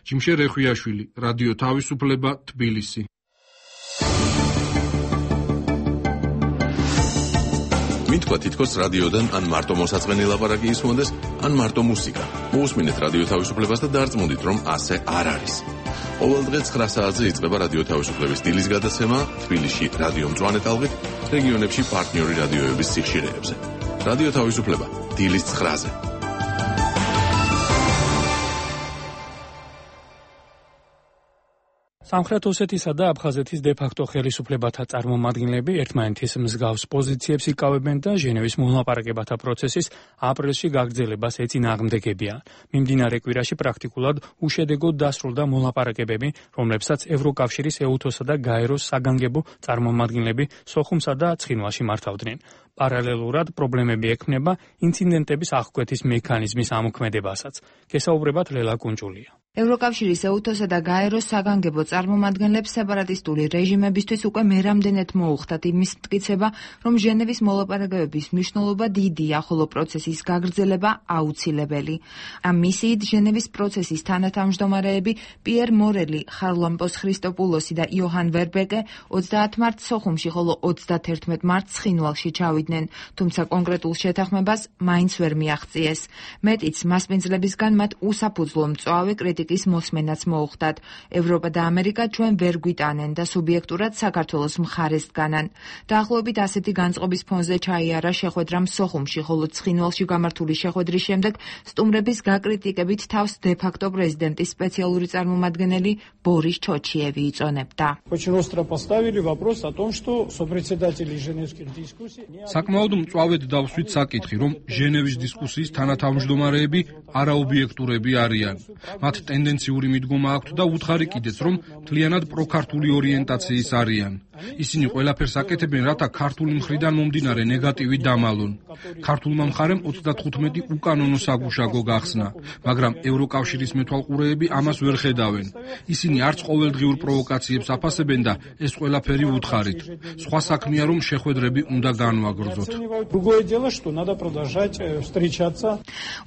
ჯიმშე რეხვიაშვილი, რადიო თავისუფლება, თბილისი. ვინ თქვა თითქოს რადიოდან ან მარტო მოსაწყენი ლაპარაკი ისმოდეს, ან მარტო მუსიკა. მოусმინეთ რადიო თავისუფლებას და დარწმუნდით, რომ ასე არ არის. ყოველდღე ცხრა საათზე იწყება რადიო თავისუფლების დილის გადაცემა თბილისში რადიო მწვანე ტალღით, რეგიონებში პარტნიორი რადიოების სიხშირეებზე. რადიო თავისუფლება დილის ცხრაზე. სამხრეთ ოსეთისა და აფხაზეთის დე-ფაქტო ხელისუფლებათა წარმომადგენლები ერთმანეთის მსგავს პოზიციებს იკავებენ და ჟენევის მოლაპარაკებათა პროცესის აპრილში გაგრძელებას ეწინააღმდეგებიან. მიმდინარე კვირაში პრაქტიკულად უშედეგოდ დასრულდა მოლაპარაკებები, რომლებსაც ევროკავშირის ეუთოსა და გაეროს საგანგებო წარმომადგენლები სოხუმსა და ცხინვალში მართავდნენ. პარალელურად პრობლემები ექმნება ინციდენტების აღკვეთის მექანიზმის ამოქმედებასაც. გესაუბრებათ ლელა კუნჭულია. ევროკავშირის ეუთოსა და გაეროს საგანგებო წარმომადგენლებს სეპარატისტული რეჟიმებისთვის უკვე მერამდენეთ მოუხდათ იმის მტკიცება, რომ ჟენევის მოლაპარაკებების მნიშვნელობა დიდია, ხოლო პროცესის გაგრძელება აუცილებელი. ამ მისიით ჟენევის პროცესის თანათავმჯდომარეები პიერ მორელი, ხარლამპოს ხრისტოპულოსი და იოჰან ვერბეკე ოცდაათ მარტს სოხუმში, ხოლო ოცდათერთმეტ მარტს ცხინვალში ჩავიდნენ, თუმცა კონკრეტულ შეთანხმებას მაინც ვერ მიაღწიეს. მეტიც, მასპინძლებისგან მათ უსაფუძვლო მწვავე კრიტიკის მოსმენაც მოუხდათ. ევროპა და ამერიკა ჩვენ ვერ გვიტანენ და სუბიექტურად საქართველოს მხარეს დგანან. დაახლოებით ასეთი განწყობის ფონზე ჩაიარა შეხვედრამ სოხუმში, ხოლო ცხინვალში გამართული შეხვედრის შემდეგ სტუმრების გაკრიტიკებით თავს დე-ფაქტო პრეზიდენტის სპეციალური წარმომადგენელი ბორის ჩოჩიევი იწონებდა. საკმაოდ მწვავედ დავსვით საკითხი, რომ ჟენევის დისკუსიის თანათავმჯდომარეები არაობიექტურები არიან. მათ ტენდენციური მიდგომა აქვთ და უთხარი კიდეც, რომ მთლიანად პროქართული ორიენტაციის არიან. ისინი ყველაფერს აკეთებენ, რათა ქართული მხრიდან მომდინარე ნეგატივი დამალონ. ქართულმა მხარემ ოცდათხუთმეტი უკანონო საგუშაგო გახსნა, მაგრამ ევროკავშირის მეთვალყურეები ამას ვერ ხედავენ. ისინი არც ყოველდღიურ პროვოკაციებს აფასებენ და ეს ყველაფერი უთხარით. სხვა საქმეა, რომ შეხვედრები უნდა განვაგრძოთ.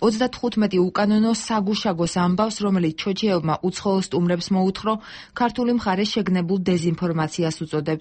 ოცდათხუთმეტი უკანონო საგუშაგოს ამბავს, რომელიც ჩოჩიევმა უცხოელ სტუმრებს მოუთხრო, ქართული მხარე შეგნებულ დეზინფორმაციას უწოდებს.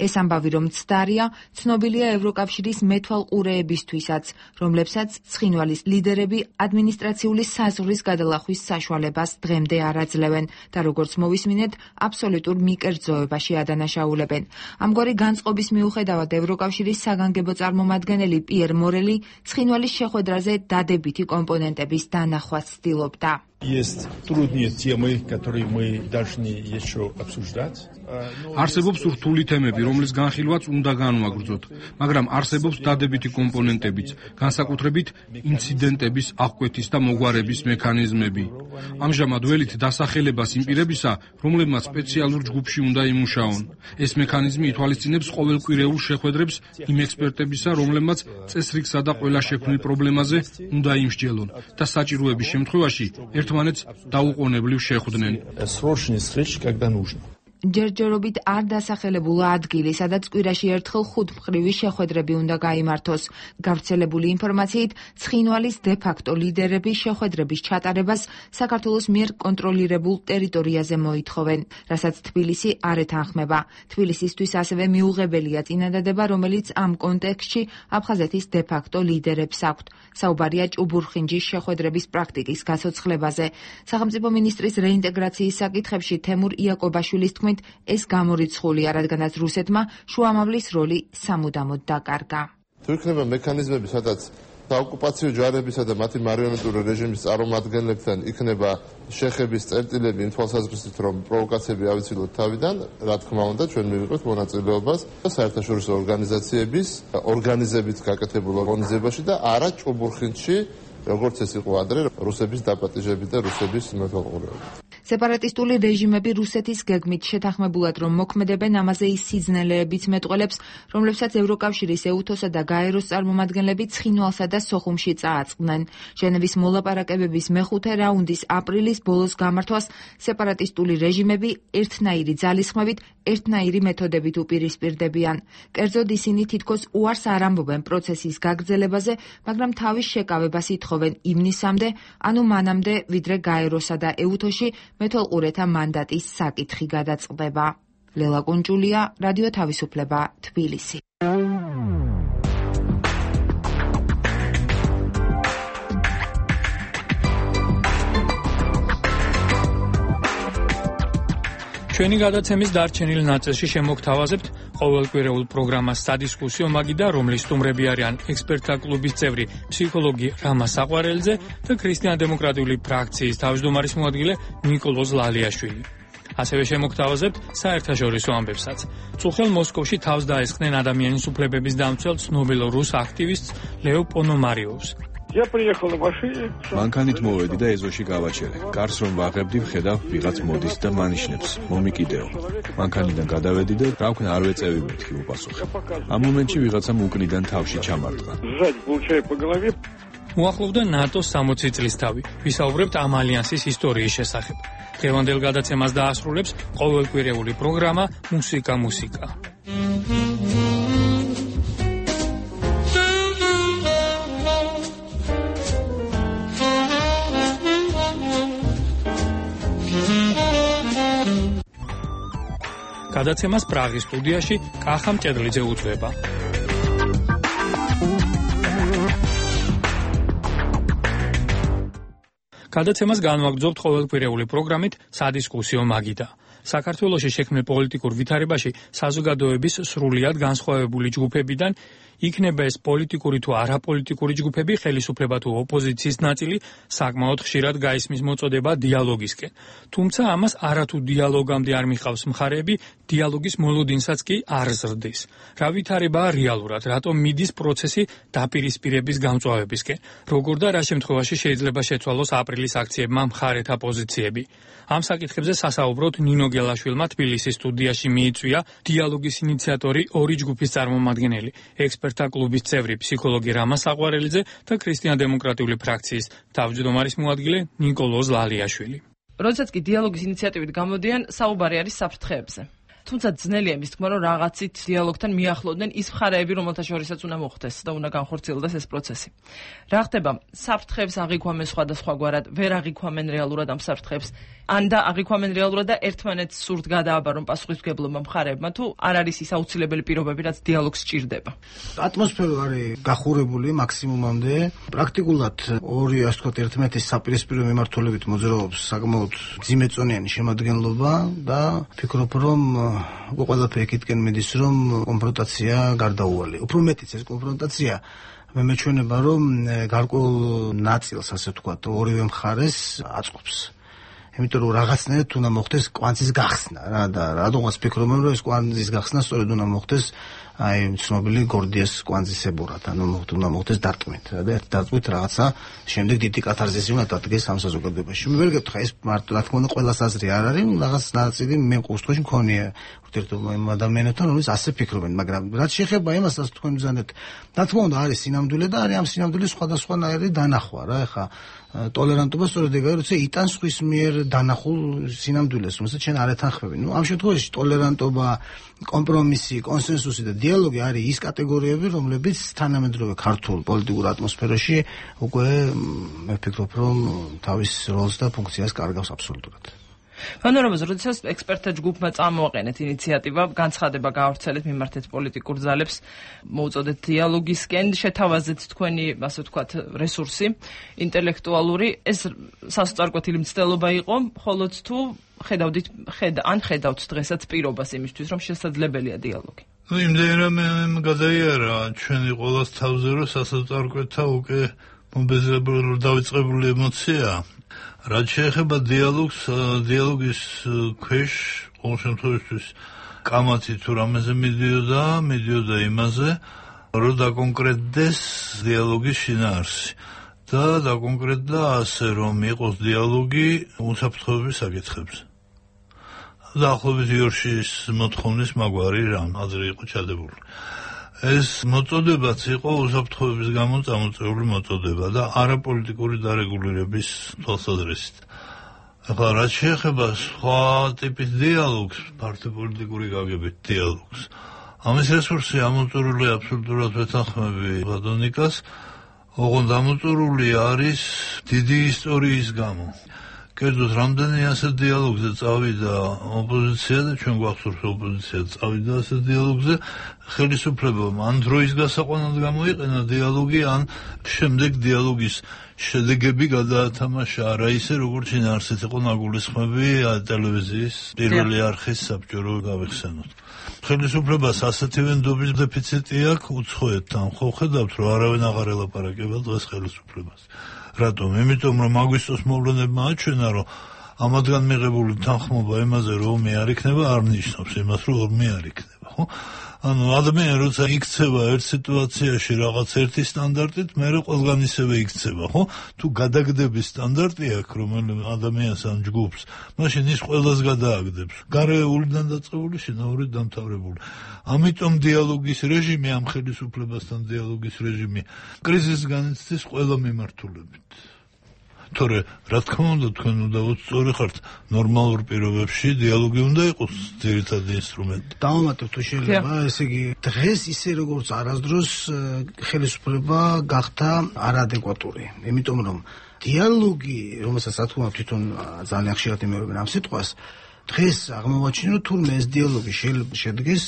ეს ამბავი რომ ცდარია, ცნობილია ევროკავშირის მეთვალყურეებისთვისაც, რომლებსაც ცხინვალის ლიდერები ადმინისტრაციული საზღვრის გადალახვის საშუალებას დღემდე არ აძლევენ და როგორც მოვისმინეთ, აბსოლუტურ მიკერძოებაში ადანაშაულებენ. ამგვარი განწყობის მიუხედავად ევროკავშირის საგანგებო წარმომადგენელი პიერ მორელი ცხინვალის შეხვედრაზე დადებითი კომპონენტების დანახვას ცდილობდა. Есть трудные темы, которые мы должны еще обсуждать. არსებობს რთული თემები, რომლის განხილვაც უნდა განვაგრძოთ, მაგრამ არსებობს დადებითი კომპონენტებიც, განსაკუთრებით ინციდენტების აღკვეთის და მოგვარების მექანიზმები. ამჟამად ველით დასახელებას იმ პირებისა, რომლებმაც სპეციალურ ჯგუფში უნდა იმუშაონ. ეს მექანიზმი ითვალისწინებს ყოველკვირეულ შეხვედრებს იმ ექსპერტებისა, რომლებმაც წესრიგსა და ყველა შექმნილ პრობლემაზე უნდა იმსჯელონ და საჭიროების შემთხვევაში ერთმანეთს დაუყოვნებლივ შეხვდნენ. ჯერჯერობით არ დასახელებულა ადგილი, სადაც კვირაში ერთხელ ხუთმხრივი შეხვედრები უნდა გაიმართოს. გავრცელებული ინფორმაციით, ცხინვალის დე-ფაქტო ლიდერები შეხვედრების ჩატარებას საქართველოს მიერ კონტროლირებულ ტერიტორიაზე მოითხოვენ, რასაც თბილისი არ ეთანხმება. თბილისისთვის ასევე მიუღებელია წინადადება, რომელიც ამ კონტექსტში აფხაზეთის დე-ფაქტო ლიდერებს აქვთ. საუბარია ჭუბურხინჯის შეხვედრების პრაქტიკის გაცოცხლებაზე. სახელმწიფო მინისტრის რეინტეგრაციის საკითხებში თემურ იაკობაშვილის თქმით, ეს გამორიცხულია, რადგანაც რუსეთმა შუამავლის როლი სამუდამოდ დაკარგა. თუ იქნება მექანიზმები, სადაც საოკუპაციო ჯარებისა და მათი მარიონეტული რეჟიმის წარმომადგენლებთან იქნება შეხების წერტილები იმ თვალსაზრისით, რომ პროვოკაციები ავიცილოთ თავიდან, რა თქმა უნდა, ჩვენ მივიღებთ მონაწილეობას საერთაშორისო ორგანიზაციების ორგანიზებით გაკეთებულ ორგანიზებაში და არა ჭუბურხინჯში, როგორც ეს იყო ადრე, რუსების დაპატიჟებით და რუსების მეთვალყურეობით. სეპარატისტული რეჟიმები რუსეთის გეგმით შეთანხმებულად რომ მოქმედებენ, ამაზე ის სიძნელეებიც მეტყველებს, რომლებსაც ევროკავშირის ეუთოსა და გაეროს წარმომადგენლები ცხინვალსა და სოხუმში წააწყდნენ. ჟენევის მოლაპარაკებების მეხუთე რაუნდის აპრილის ბოლოს გამართვას სეპარატისტული რეჟიმები ერთნაირი ძალისხმევით, ერთნაირი მეთოდებით უპირისპირდებიან. კერძოდ ისინი თითქოს უარს არ ამბობენ პროცესის გაგრძელებაზე, მაგრამ თავის შეკავებას ითხოვენ ივნისამდე, ანუ მანამდე, ვიდრე გაეროსა და ეუთოში მეთვალყურეთა მანდატის საკითხი გადაწყდება. ლელა კუნჭულია, რადიო თავისუფლება, თბილისი. ჩვენი გადაცემის დარჩენილ ნაწილში შემოგთავაზებთ ყოველკვირეულ პროგრამას სადისკუსიო მაგიდა, რომლის სტუმრები არიან ექსპერტთა კლუბის წევრი ფსიქოლოგი რამა საყვარელძე და ქრისტიან-დემოკრატიული ფრაქციის თავმჯდომარის მოადგილე ნიკოლოზ ლალიაშვილი. ასევე შემოგთავაზებთ საერთაშორისო ამბებსაც. წუხელ მოსკოვში თავს დაესხნენ ადამიანის უფლებების დამცველ ცნობილ რუს აქტივისტს ლეო პონომარიოვს. Я приехал на машине. მანქანით მოვედი და ეზოში გავაჩერე. კარს რომ ვაღებდი, ვხედავ ვიღაც მოდის და მანიშნებს. მომიკიდეო. მანქანიდან გადავედი და რა ვქნა არ ვეწევი მეთქი უპასუხე. ამ მომენტში ვიღაცამ უკნიდან თავში ჩამარტყა. Сзади получаю по голове. უახლოვდა ნატოს სამოცი წლის თავი. ვისაუბრებთ ამ ალიანსის ისტორიის შესახებ. დღევანდელ გადაცემას დაასრულებს ყოველკვირეული პროგრამა მუსიკა მუსიკა. გადაცემას პრაღის სტუდიაში კახა მჭედლიძე უძღვება. გადაცემას განვაგრძობთ ყოველკვირეული პროგრამით სადისკუსიო მაგიდა. საქართველოში შექმნილ პოლიტიკურ ვითარებაში საზოგადოების სრულიად განსხვავებული ჯგუფებიდან იქნება ეს პოლიტიკური თუ არაპოლიტიკური ჯგუფები, ხელისუფლება თუ ოპოზიციის ნაწილი, საკმაოდ ხშირად გაისმის მოწოდება დიალოგისკენ. თუმცა ამას არათუ დიალოგამდე არ მიხავს მხარეები, დიალოგის მოლოდინსაც კი არ ზრდის. რა ვითარებაა რეალურად, რატომ მიდის პროცესი დაპირისპირების გამწვავებისკენ, როგორ და რა შემთხვევაში შეიძლება შეცვალოს აპრილის აქციებმა მხარეთა პოზიციები. ამ საკითხებზე სასაუბროდ ნინო გელაშვილმა თბილისის სტუდიაში მიიწვია დიალოგის ინიციატორი ორი ჯგუფის წარმომადგენელი, ექსპერტთა კლუბის წევრი ფსიქოლოგი რამა საყვარელძე და ქრისტიან-დემოკრატიული ფრაქციის თავმჯდომარის მოადგილე ნიკოლოზ ლალიაშვილი. როდესაც კი დიალოგის ინიციატივით გამოდიან, საუბარი არის საფრთხეებზე. თუმცა ძნელია იმის თქმა, რომ რაღაცით დიალოგთან მიახლოვდნენ ის მხარეები, რომელთა შორისაც უნდა მოხდეს და უნდა განხორციელდეს ეს პროცესი. რა ხდება? საფრთხეებს აღიქვამენ სხვადასხვაგვარად, ვერ აღიქვამენ რეალურად ამ საფრთხეებს, ან და აღიქვამენ რეალურად და ერთმანეთს სურთ გადააბარონ პასუხისმგებლობა მხარეებმა, თუ არ არის ის აუცილებელი პირობები, რაც დიალოგს სჭირდება. ატმოსფერო არის გახურებული მაქსიმუმამდე. პრაქტიკულად ორი, ასე ვთქვათ, ერთმანეთის საპირისპირო მიმართულებით მოძრაობს საკმაოდ ძიმეწონიანი შემადგენლობა და ფიქრობ, რომ უკვე ყველაფერი იქითკენ მიდის, რომ კონფრონტაცია გარდაუვალია. უფრო მეტიც ეს კონფრონტაცია მე მეჩვენება, რომ გარკვეულ ნაწილს, ასე ვთქვათ, ორივე მხარეს აწყობს. იმიტომ რომ რაღაცნაირად უნდა მოხდეს კვანძის გახსნა რა და რადგანაც ფიქრობენ რომ ეს კვანძის გახსნა სწორედ უნდა მოხდეს აი ცნობილი გორდიას კვანძისებურად ანუ უნდა მოხდეს დარტყმით რა და ერთ დარტყმით რაღაცა შემდეგ დიდი კათარზისი უნდა დადგეს ამ საზოგადოებაში. მე ვერ გეტყვი ეს მარტო რა თქმა უნდა ყველას აზრი არ არის რაღაც ნაწილი მე ყოველთვის მქონია ურთიერთობა იმ ადამიანებთან რომლის ასე ფიქრობენ მაგრამ რაც შეეხება იმას რაც თქვენ ბრძანეთ რა თქმა უნდა არის სინამდვილე და არის ამ სინამდვილის სხვადასხვანაირი დანახვა რა ეხა ტოლერანტობა სწორედ ეგაა როცა იტანს ხვის მიერ დანახულ სინამდვილეს რომელსაც შენ არ ეთანხმები. ნუ ამ შემთხვევაში ტოლერანტობა, კომპრომისი, კონსენსუსი და დიალოგი არის ის კატეგორიები რომლებიც თანამედროვე ქართულ პოლიტიკურ ატმოსფეროში უკვე მე ვფიქრობ რომ თავის როლს და ფუნქციას კარგავს აბსოლუტურად. ფანორამაზე, როდესაც ექსპერტთა ჯგუფმა წამოაყენეთ ინიციატივა, განცხადება გაავრცელეთ მიმართეთ პოლიტიკურ ძალებს, მოუწოდეთ დიალოგისკენ, შეთავაზეთ თქვენი, ასე ვთქვათ, რესურსი, ინტელექტუალური, ეს სასწორკვეთილი მცდელობა იყო, ხოლოც თუ ხედავდით, ხედა, ან ხედავთ დღესაც პირობას იმისთვის, რომ შესაძლებელია დიალოგი. ну იმდენ რომ გადაიარა ჩვენი ყოველს თავზე რომ სასწორკვეთა უკვე მომბეზრებული დავიწყებული ემოცია. რაც შეეხება დიალოგს, დიალოგის ქვეშ ყოველ შემთხვევაში კამათი თუ რამეზე მიდიოდა, მიდიოდა იმაზე, რომ დაკონკრეტდეს დიალოგის შინაარსი და დაკონკრეტდა ასე, რომ იყოს დიალოგი უსაფრთხოების საკითხებზე. დაახლოებით იორშის მოთხოვნის მაგვარი რამ აზრი იყო ჩადებული. ეს მოწოდებაც იყო უსაფრთხოების გამო წამოწეული მოწოდება და არაპოლიტიკური დარეგულირების თვალსაზრისით. ახლა რაც შეეხება სხვა ტიპის დიალოგს, პარტიულ-პოლიტიკური გაგებით დიალოგს, ამის რესურსი ამოწურული აბსოლუტურად ვეთანხმები ბატონიკას, ოღონდ ამოწურული არის დიდი ისტორიის გამო. კერძოდ რამდენი ასეთ დიალოგზე წავიდა ოპოზიცია და ჩვენ გვახსოვს ოპოზიცია წავიდა ასეთ დიალოგზე, ხელისუფლებამ ან დროის გასაყვანად გამოიყენა დიალოგი, ან შემდეგ დიალოგის შედეგები გადაათამაშა არა ისე, როგორც შინაარსით იყო ნაგულისხმები ტელევიზიის პირველი არხის საბჭორო გავიხსენოთ. ხელისუფლებას ასეთივე ნდობის დეფიციტი აქვს უცხოეთთან. ხო ხედავთ, რომ არავინ აღარ ელაპარაკება დღეს ხელისუფლებას. რატომ? იმიტომ რომ აგვისტოს მოვლენებმა აჩვენა, რომ ამათგან მიღებული თანხმობა იმაზე, რომ ომი არ იქნება, არ ნიშნავს იმას, რომ ომი არ იქნება, ხო? ანუ ადამიანი როცა იქცევა ერთ სიტუაციაში რაღაც ერთი სტანდარტით, მერე ყველგან ისევე იქცევა, ხო? თუ გადაგდების სტანდარტი აქვს, რომელიც ადამიანს ან ჯგუფს, მაშინ ის ყველას გადააგდებს. გარეულიდან დაწყებული, შინაურით დამთავრებული. ამიტომ დიალოგის რეჟიმი, ამ ხელისუფლებასთან დიალოგის რეჟიმი, კრიზისს განიცდის ყველა მიმართულებით. თორე რა თქმა უნდა თქვენ უნდა სწორი ხართ, ნორმალურ პირობებში დიალოგი უნდა იყოს ძირითადი ინსტრუმენტი. დავამატებ თუ შეიძლება, ესე იგი დღეს ისე როგორც არასდროს ხელისუფლება გახდა არაადეკვატური, იმიტომ რომ დიალოგი, რომელსაც რა თქმა უნდა თვითონ ძალიან ხშირად იმეორებენ ამ სიტყვას, დღეს აღმოვაჩინე რომ თურმე ეს დიალოგი შეიძლება შედგეს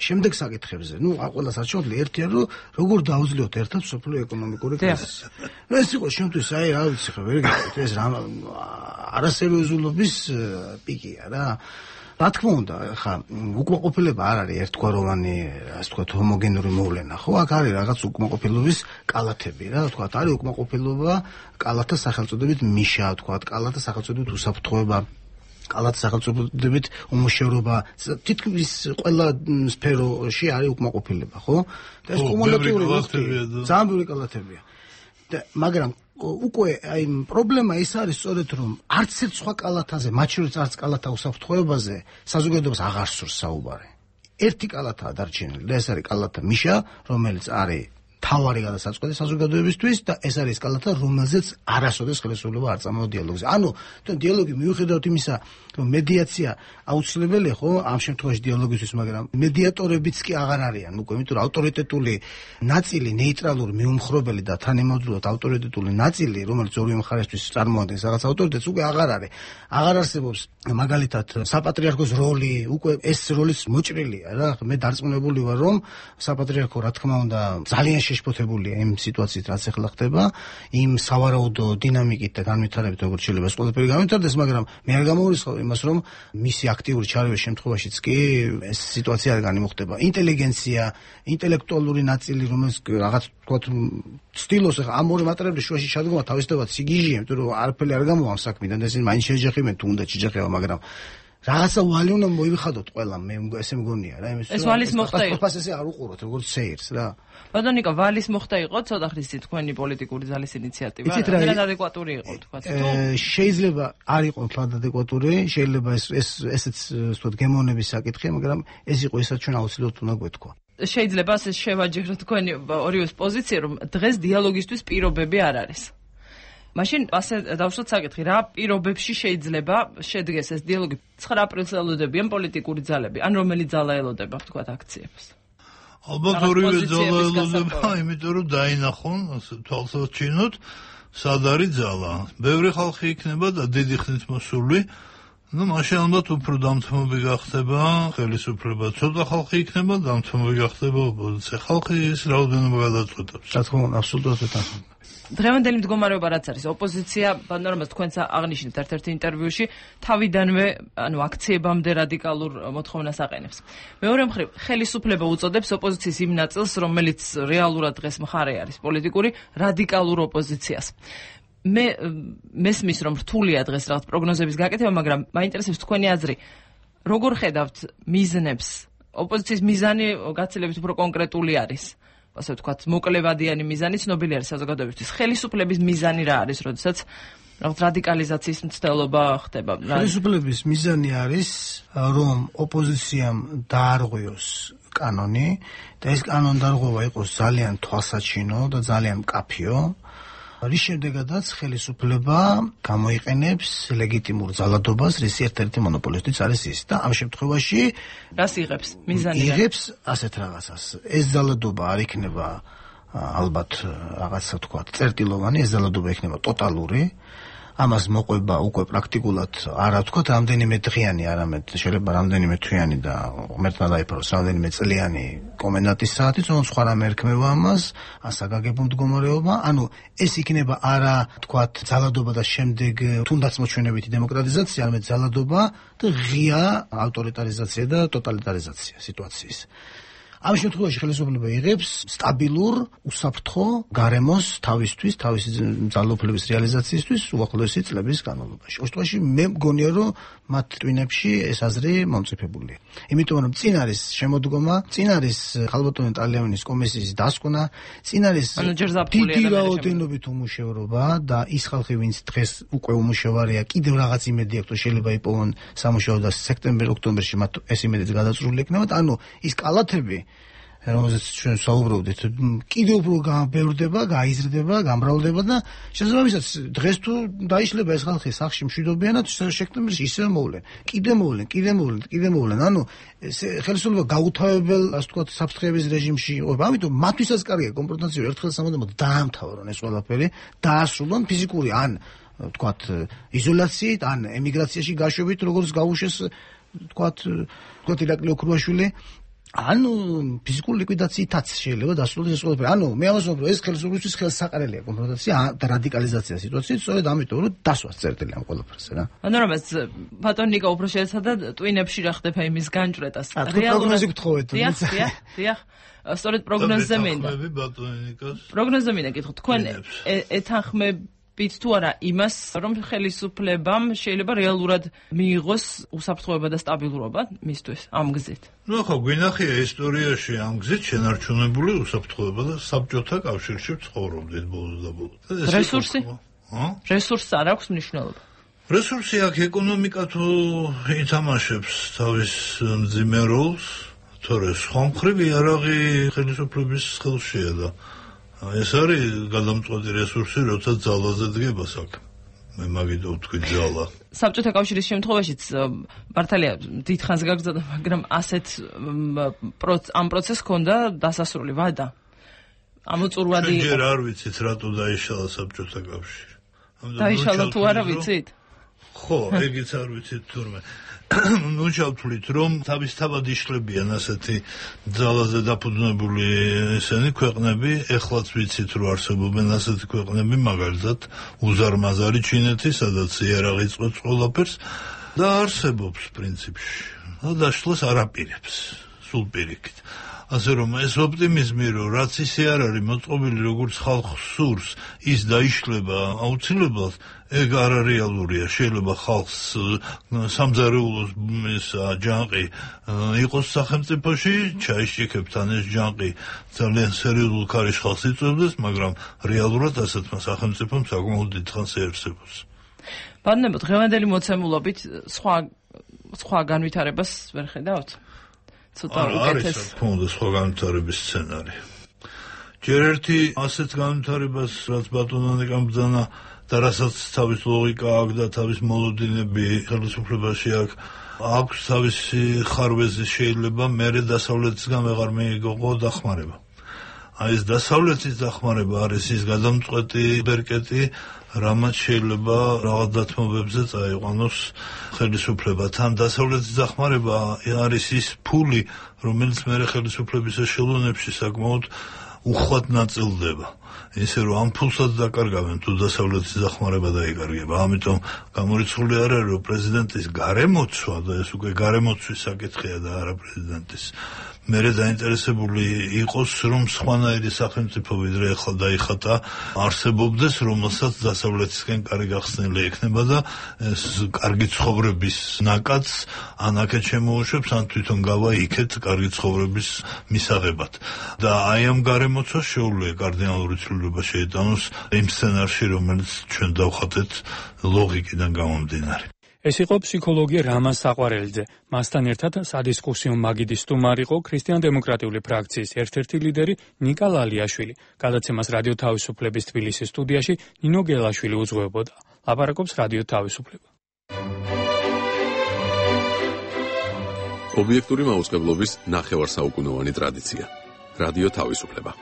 შემდეგ საკითხებზე. ნუ ყველას არ შეუძლია, ერთია რომ როგორ დაუძლიოთ ერთად სოფლიო ეკონომიკური კრიზისი. ნუ ეს იყო შემთხვევით, აი რა ვიცი ხო, ვერ გეტყვით, ეს რა არასერიოზულობის პიკია რა. რა თქმა უნდა, ხა უკმაყოფილება არ არის ერთგვაროვანი, ასე ვთქვათ, ჰომოგენური მოვლენა, ხო? აქ არის რაღაც უკმაყოფილების კალათები, რა ვთქვათ, არის უკმაყოფილება კალათა სახელწოდებით მიშა, ვთქვათ, კალათა სახელწოდებით უსაფრთხოება. კალათის სახელწოდებით უმუშევრობა, თითქმის ყველა სფეროში არის უკმაყოფილება, ხო? და ეს კუმულატიური ძალიან ბევრი კალათებია. და მაგრამ უკვე აი პრობლემა ის არის სწორედ რომ არც ერთ სხვა კალათაზე, მათ შორის არც კალათა უსაფრთხოებაზე საზოგადოებას აღარ სურს საუბარი. ერთი კალათაა დარჩენილი და ეს არის კალათა მიშა, რომელიც არის თავარი გადასაწყვეტი საზოგადოებისთვის და ეს არის კალათა, რომელზეც არასოდეს ხელისუფლება არ წამოვა დიალოგზე. ანუ თვითონ დიალოგი მიუხედავად იმისა, რომ მედიაცია აუცილებელია, ხო, ამ შემთხვევაში დიალოგისთვის, მაგრამ მედიატორებიც კი აღარ არიან უკვე, იმიტომ რომ ავტორიტეტული ნაწილი, ნეიტრალური, მიუმხრობელი და თანამედროვე ავტორიტეტული ნაწილი, რომელიც ორივე მხარესთვის წარმოადგენს რაღაც ავტორიტეტს, უკვე აღარ არის. აღარ არსებობს მაგალითად საპატრიარქოს როლი, უკვე ეს როლიც მოჭრილია რა. მე დარწმუნებული ვარ, რომ საპატრიარქო, რა თქმა უნდა, ძალიან შეშფოთებულია იმ სიტუაციით, რაც ახლა ხდება, იმ სავარაუდო დინამიკით და განვითარებით, როგორც შეიძლება ეს ყველაფერი განვითარდეს, მაგრამ მე არ გამოვირისხავ იმას, რომ მისი აქტიური ჩარევის შემთხვევაშიც კი ეს სიტუაცია არ განიმუხტება. ინტელიგენცია, ინტელექტუალური ნაწილი, რომელიც რაღაც თქვათ ცდილობს ახლა ამ ორი მატერიალის შუაში ჩადგომა თავისთავად სიგიჟეა, იმიტომ რომ არაფერი არ გამოვა ამ საქმიდან და ისინი მაინც შეჯახებენ, თუ უნდა შეჯახება, მაგრამ რაღაცა ვალი უნდა მოივიხადოთ ყველა, მე ესე მგონია რა, იმის ეს ვალის მოხდა იყო. ფასზე არ უყუროთ, როგორც სეირს რა. ბატონო ნიკო, ვალის მოხდა იყო ცოტა ხნის წინ თქვენი პოლიტიკური ძალის ინიციატივა, რა ადეკვატური იყო თქვათ თუ? შეიძლება არ იყო თლად ადეკვატური, შეიძლება ეს ეს ესეც ვთქვათ გემოვნების საკითხია, მაგრამ ეს იყო ისაც ჩვენ აუცილებლად უნდა გვეთქვა. შეიძლება ასე შევაჯეროთ თქვენი ორივეს პოზიცია, რომ დღეს დიალოგისთვის პირობები არ არის. მაშინ ასე დავშოთ საკითხი, რა პირობებში შეიძლება შედგეს ეს დიალოგი? ცხრა აპრილს ელოდებიან პოლიტიკური ძალები, ან რომელი ძალა ელოდება თქვათ აქციებს? ალბათ ორივე ძალა ელოდება, იმიტომ რომ დაინახონ, თვალსაჩინოთ, სად არის ძალა. ბევრი ხალხი იქნება და დიდი ხნით მოსული, ну, მაშინ ალბათ უფრო დამთმობი გახდება ხელისუფლება. ცოტა ხალხი იქნება, დამთმობი გახდება ოპოზიცია. ხალხი ის რაოდენობა გადაწყვეტებს. რა თქმა უნდა, აბსოლუტურად ვეთანხმები. დღევანდელი მდგომარეობა რაც არის, ოპოზიცია, ბანორმას თქვენც აღნიშნეთ ერთ-ერთ ინტერვიუში, თავიდანვე, ანუ აქციებამდე რადიკალურ მოთხოვნას აყენებს. მეორე მხრივ, ხელისუფლება უწოდებს ოპოზიციის იმ ნაწილს, რომელიც რეალურად დღეს მხარე არის პოლიტიკური, რადიკალურ ოპოზიციას. მე მესმის, რომ რთულია დღეს რაღაც პროგნოზების გაკეთება, მაგრამ მაინტერესებს თქვენი აზრი. როგორ ხედავთ მიზნებს? ოპოზიციის მიზანი გაცილებით უფრო კონკრეტული არის. ასე ვთქვათ, მოკლევადიანი მიზანი ცნობილი არის საზოგადოებისთვის. ხელისუფლების მიზანი რა არის, როდესაც რაღაც რადიკალიზაციის მცდელობა ხდება? ხელისუფლების მიზანი არის, რომ ოპოზიციამ დაარღვიოს კანონი და ეს კანონდარღვევა იყოს ძალიან თვალსაჩინო და ძალიან მკაფიო. რის შემდეგაც ხელისუფლება გამოიყენებს ლეგიტიმურ ძალადობას, რის ერთ-ერთი მონოპოლისტიც არის ის და ამ შემთხვევაში რას იღებს? მიზანი იღებს ასეთ რაღაცას. ეს ძალადობა არ იქნება ალბათ რაღაცა თქვა წერტილოვანი, ეს ძალადობა იქნება ტოტალური ამას მოყვება უკვე პრაქტიკულად არა ვთქვათ რამდენიმე დღიანი, არამედ შეიძლება რამდენიმე თვიანი და ღმერთმა დაიფაროს რამდენიმე წლიანი კომენდანტის საათი, თუმცა სხვა რამე ერქმევა ამას, ან საგაგებო მდგომარეობა, ანუ ეს იქნება არა ვთქვათ ძალადობა და შემდეგ თუნდაც მოჩვენებითი დემოკრატიზაცია, არამედ ძალადობა და ღია ავტორიტარიზაცია და ტოტალიტარიზაცია სიტუაციის. ამ შემთხვევაში ხელისუფლება იღებს სტაბილურ, უსაფრთხო გარემოს თავისთვის, თავისი ძალაუფლების რეალიზაციისთვის უახლოესი წლების განმავლობაში. უშუალოდ მე მგონია, რომ მათ ტვინებში ეს აზრი მომწიფებულია. იმიტომ რომ წინ არის შემოდგომა, წინ არის ხალბატონი ტალიანის კომისიის დასკვნა, წინ არის დიდი რაოდენობით უმუშევრობა და ის ხალხი, ვინც დღეს უკვე უმუშევარია, კიდევ რაღაც იმედი აქვს, რომ შეიძლება იპოვონ სამუშაო და სექტემბერ-ოქტომბერში მათ ეს იმედიც გადაწრული იქნებათ. ანუ ის კალათები რომელზეც ჩვენ საუბრობდით, კიდევ უფრო გამბევრდება, გაიზრდება, გამრავლდება და შესაბამისად დღეს თუ დაიშლება ეს ხალხი სახლში მშვიდობიანად, სექტემბერში ისევ მოვლენ, კიდე მოვლენ, კიდე მოვლენ, კიდე მოვლენ. ანუ ხელისუფლება გაუთავებელ, ასე ვთქვათ, საფრთხეების რეჟიმში იყოფა. ამიტომ მათთვისაც კარგია კონფრონტაცია ერთხელ სამუდამოდ დაამთავრონ ეს ყველაფერი, დაასრულონ ფიზიკური ან ვთქვათ იზოლაციით, ან ემიგრაციაში გაშვებით, როგორც გაუშვეს ვთქვათ, ვთქვათ ირაკლი ოქრუაშვილი. ანუ ფიზიკური ლიკვიდაციითაც შეიძლება დასრულდეს ეს ყველაფერი. ანუ მე ამას ვამბობ, ეს ხელისუფლებისთვის ხელსაყრელია კონფრონტაცია და რადიკალიზაცია სიტუაციით, სწორედ ამიტომ რომ დასვას წერტილი ამ ყველაფერზე რა. ანუ რომელს ბატონ ნიკა უფრო შეეცადა ტვინებში რა ხდება იმის განჭრეტას. რეალურად გთხოვეთ. დიახ, დიახ, დიახ. სწორედ პროგნოზზე მინდა. პროგნოზზე მინდა გითხოთ, თქვენ ეთანხმებ ბიც თუ არა იმას, რომ ხელისუფლებამ შეიძლება რეალურად მიიღოს უსაფრთხოება და სტაბილურობა მისთვის ამ გზით. ნუ ხო გვინახია ისტორიაში ამ გზით შენარჩუნებული უსაფრთხოება და საბჭოთა კავშირში ცხოვრობდით ბოლოს და ბოლოს. რესურსი? რესურსი არ აქვს მნიშვნელობა. რესურსი აქ ეკონომიკა თუ ითამაშებს თავის მძიმე როლს, თორე სხვა მხრივ იარაღი ხელისუფლების ხელშია და ეს არის გადამწყვეტი რესურსი, როცა ძალაზე დგება საქმე. მე მაგით ვთქვი ძალა. საბჭოთა კავშირის შემთხვევაშიც მართალია დიდხანს გაგრძელდა, მაგრამ ასეთ ამ პროცესს ჰქონდა დასასრული ვადა. ამოწურვადი იყო. ჯერ არ ვიცით რატო დაიშალა საბჭოთა კავშირი. დაიშალა თუ არა ვიცით? ხო, ეგეც არ ვიცით თურმე. ნუ ჩავთვლით, რომ თავისთავად იშლებიან ასეთი ძალაზე დაფუძნებული ესენი ქვეყნები, ეხლაც ვიცით, რომ არსებობენ ასეთი ქვეყნები, მაგალითად უზარმაზარი ჩინეთი, სადაც იარაღი წყვეტს ყველაფერს და არსებობს პრინციპში. და დაშლას არ აპირებს, სულ პირიქით. ასე რომ ეს ოპტიმიზმი, რომ რაც ისე არ არის მოწყობილი, როგორც ხალხს სურს, ის დაიშლება აუცილებლად, ეგ არარეალურია. შეიძლება ხალხს სამზარეულოს ეს ჯანყი იყოს სახელმწიფოში, ჩაიშიქებთან ეს ჯანყი ძალიან სერიოზულ ქარიშხალს იწვევდეს, მაგრამ რეალურად ასეთმა სახელმწიფომ საკმაოდ დიდხანს ეარსებოს. ბატონო, დღევანდელი მოცემულობით სხვა სხვა განვითარებას ვერ ხედავთ? ცოტა უკეთეს. არის თუნდაც სხვა განვითარების სცენარი. ჯერ ერთი ასეთ განვითარებას, რაც ბატონო ნიკამ ბრძანა და რასაც თავის ლოგიკა აქვს და თავის მოლოდინები ხელისუფლებაში აქვს, აქვს თავისი ხარვეზი, შეიძლება მერე დასავლეთისგან ვეღარ მიიღო დახმარება. აი ეს დასავლეთის დახმარება არის ის გადამწყვეტი ბერკეტი, რამაც შეიძლება რაღაც დათმობებზე წაიყვანოს ხელისუფლება. თან დასავლეთის დახმარება არის ის ფული, რომელიც მერე ხელისუფლების ეშელონებში საკმაოდ უხვად ნაწილდება. ისე რომ ამ ფულსაც დაკარგავენ თუ დასავლეთის დახმარება დაიკარგება. ამიტომ გამორიცხული არ არის, რომ პრეზიდენტის გარემოცვა და ეს უკვე გარემოცვის საკითხია და არა პრეზიდენტის. მერე დაინტერესებული იყოს, რომ სხვანაირი სახელმწიფო ვიდრე ახლა დაიხატა არსებობდეს, რომელსაც დასავლეთისკენ კარი გახსნილი ექნება და ეს კარგი ცხოვრების ნაკადს ან აქეთ შემოუშვებს, ან თვითონ გავა იქეთ კარგი ცხოვრების მისაღებად. და აი ამ გარემოცვას შეუძლია კარდინალური ცვლილება შეიტანოს იმ სცენარში, რომელიც ჩვენ დავხატეთ ლოგიკიდან გამომდინარე. ეს იყო ფსიქოლოგი რამაზ საყვარელიძე. მასთან ერთად სადისკუსიო მაგიდის სტუმარი იყო ქრისტიან-დემოკრატიული ფრაქციის ერთ-ერთი ლიდერი ნიკა ლალიაშვილი. გადაცემას რადიო თავისუფლების თბილისის სტუდიაში ნინო გელაშვილი უძღვებოდა. ლაპარაკობს რადიო თავისუფლება. ობიექტური მაუწყებლობის ნახევარსაუკუნოვანი ტრადიცია. რადიო თავისუფლება.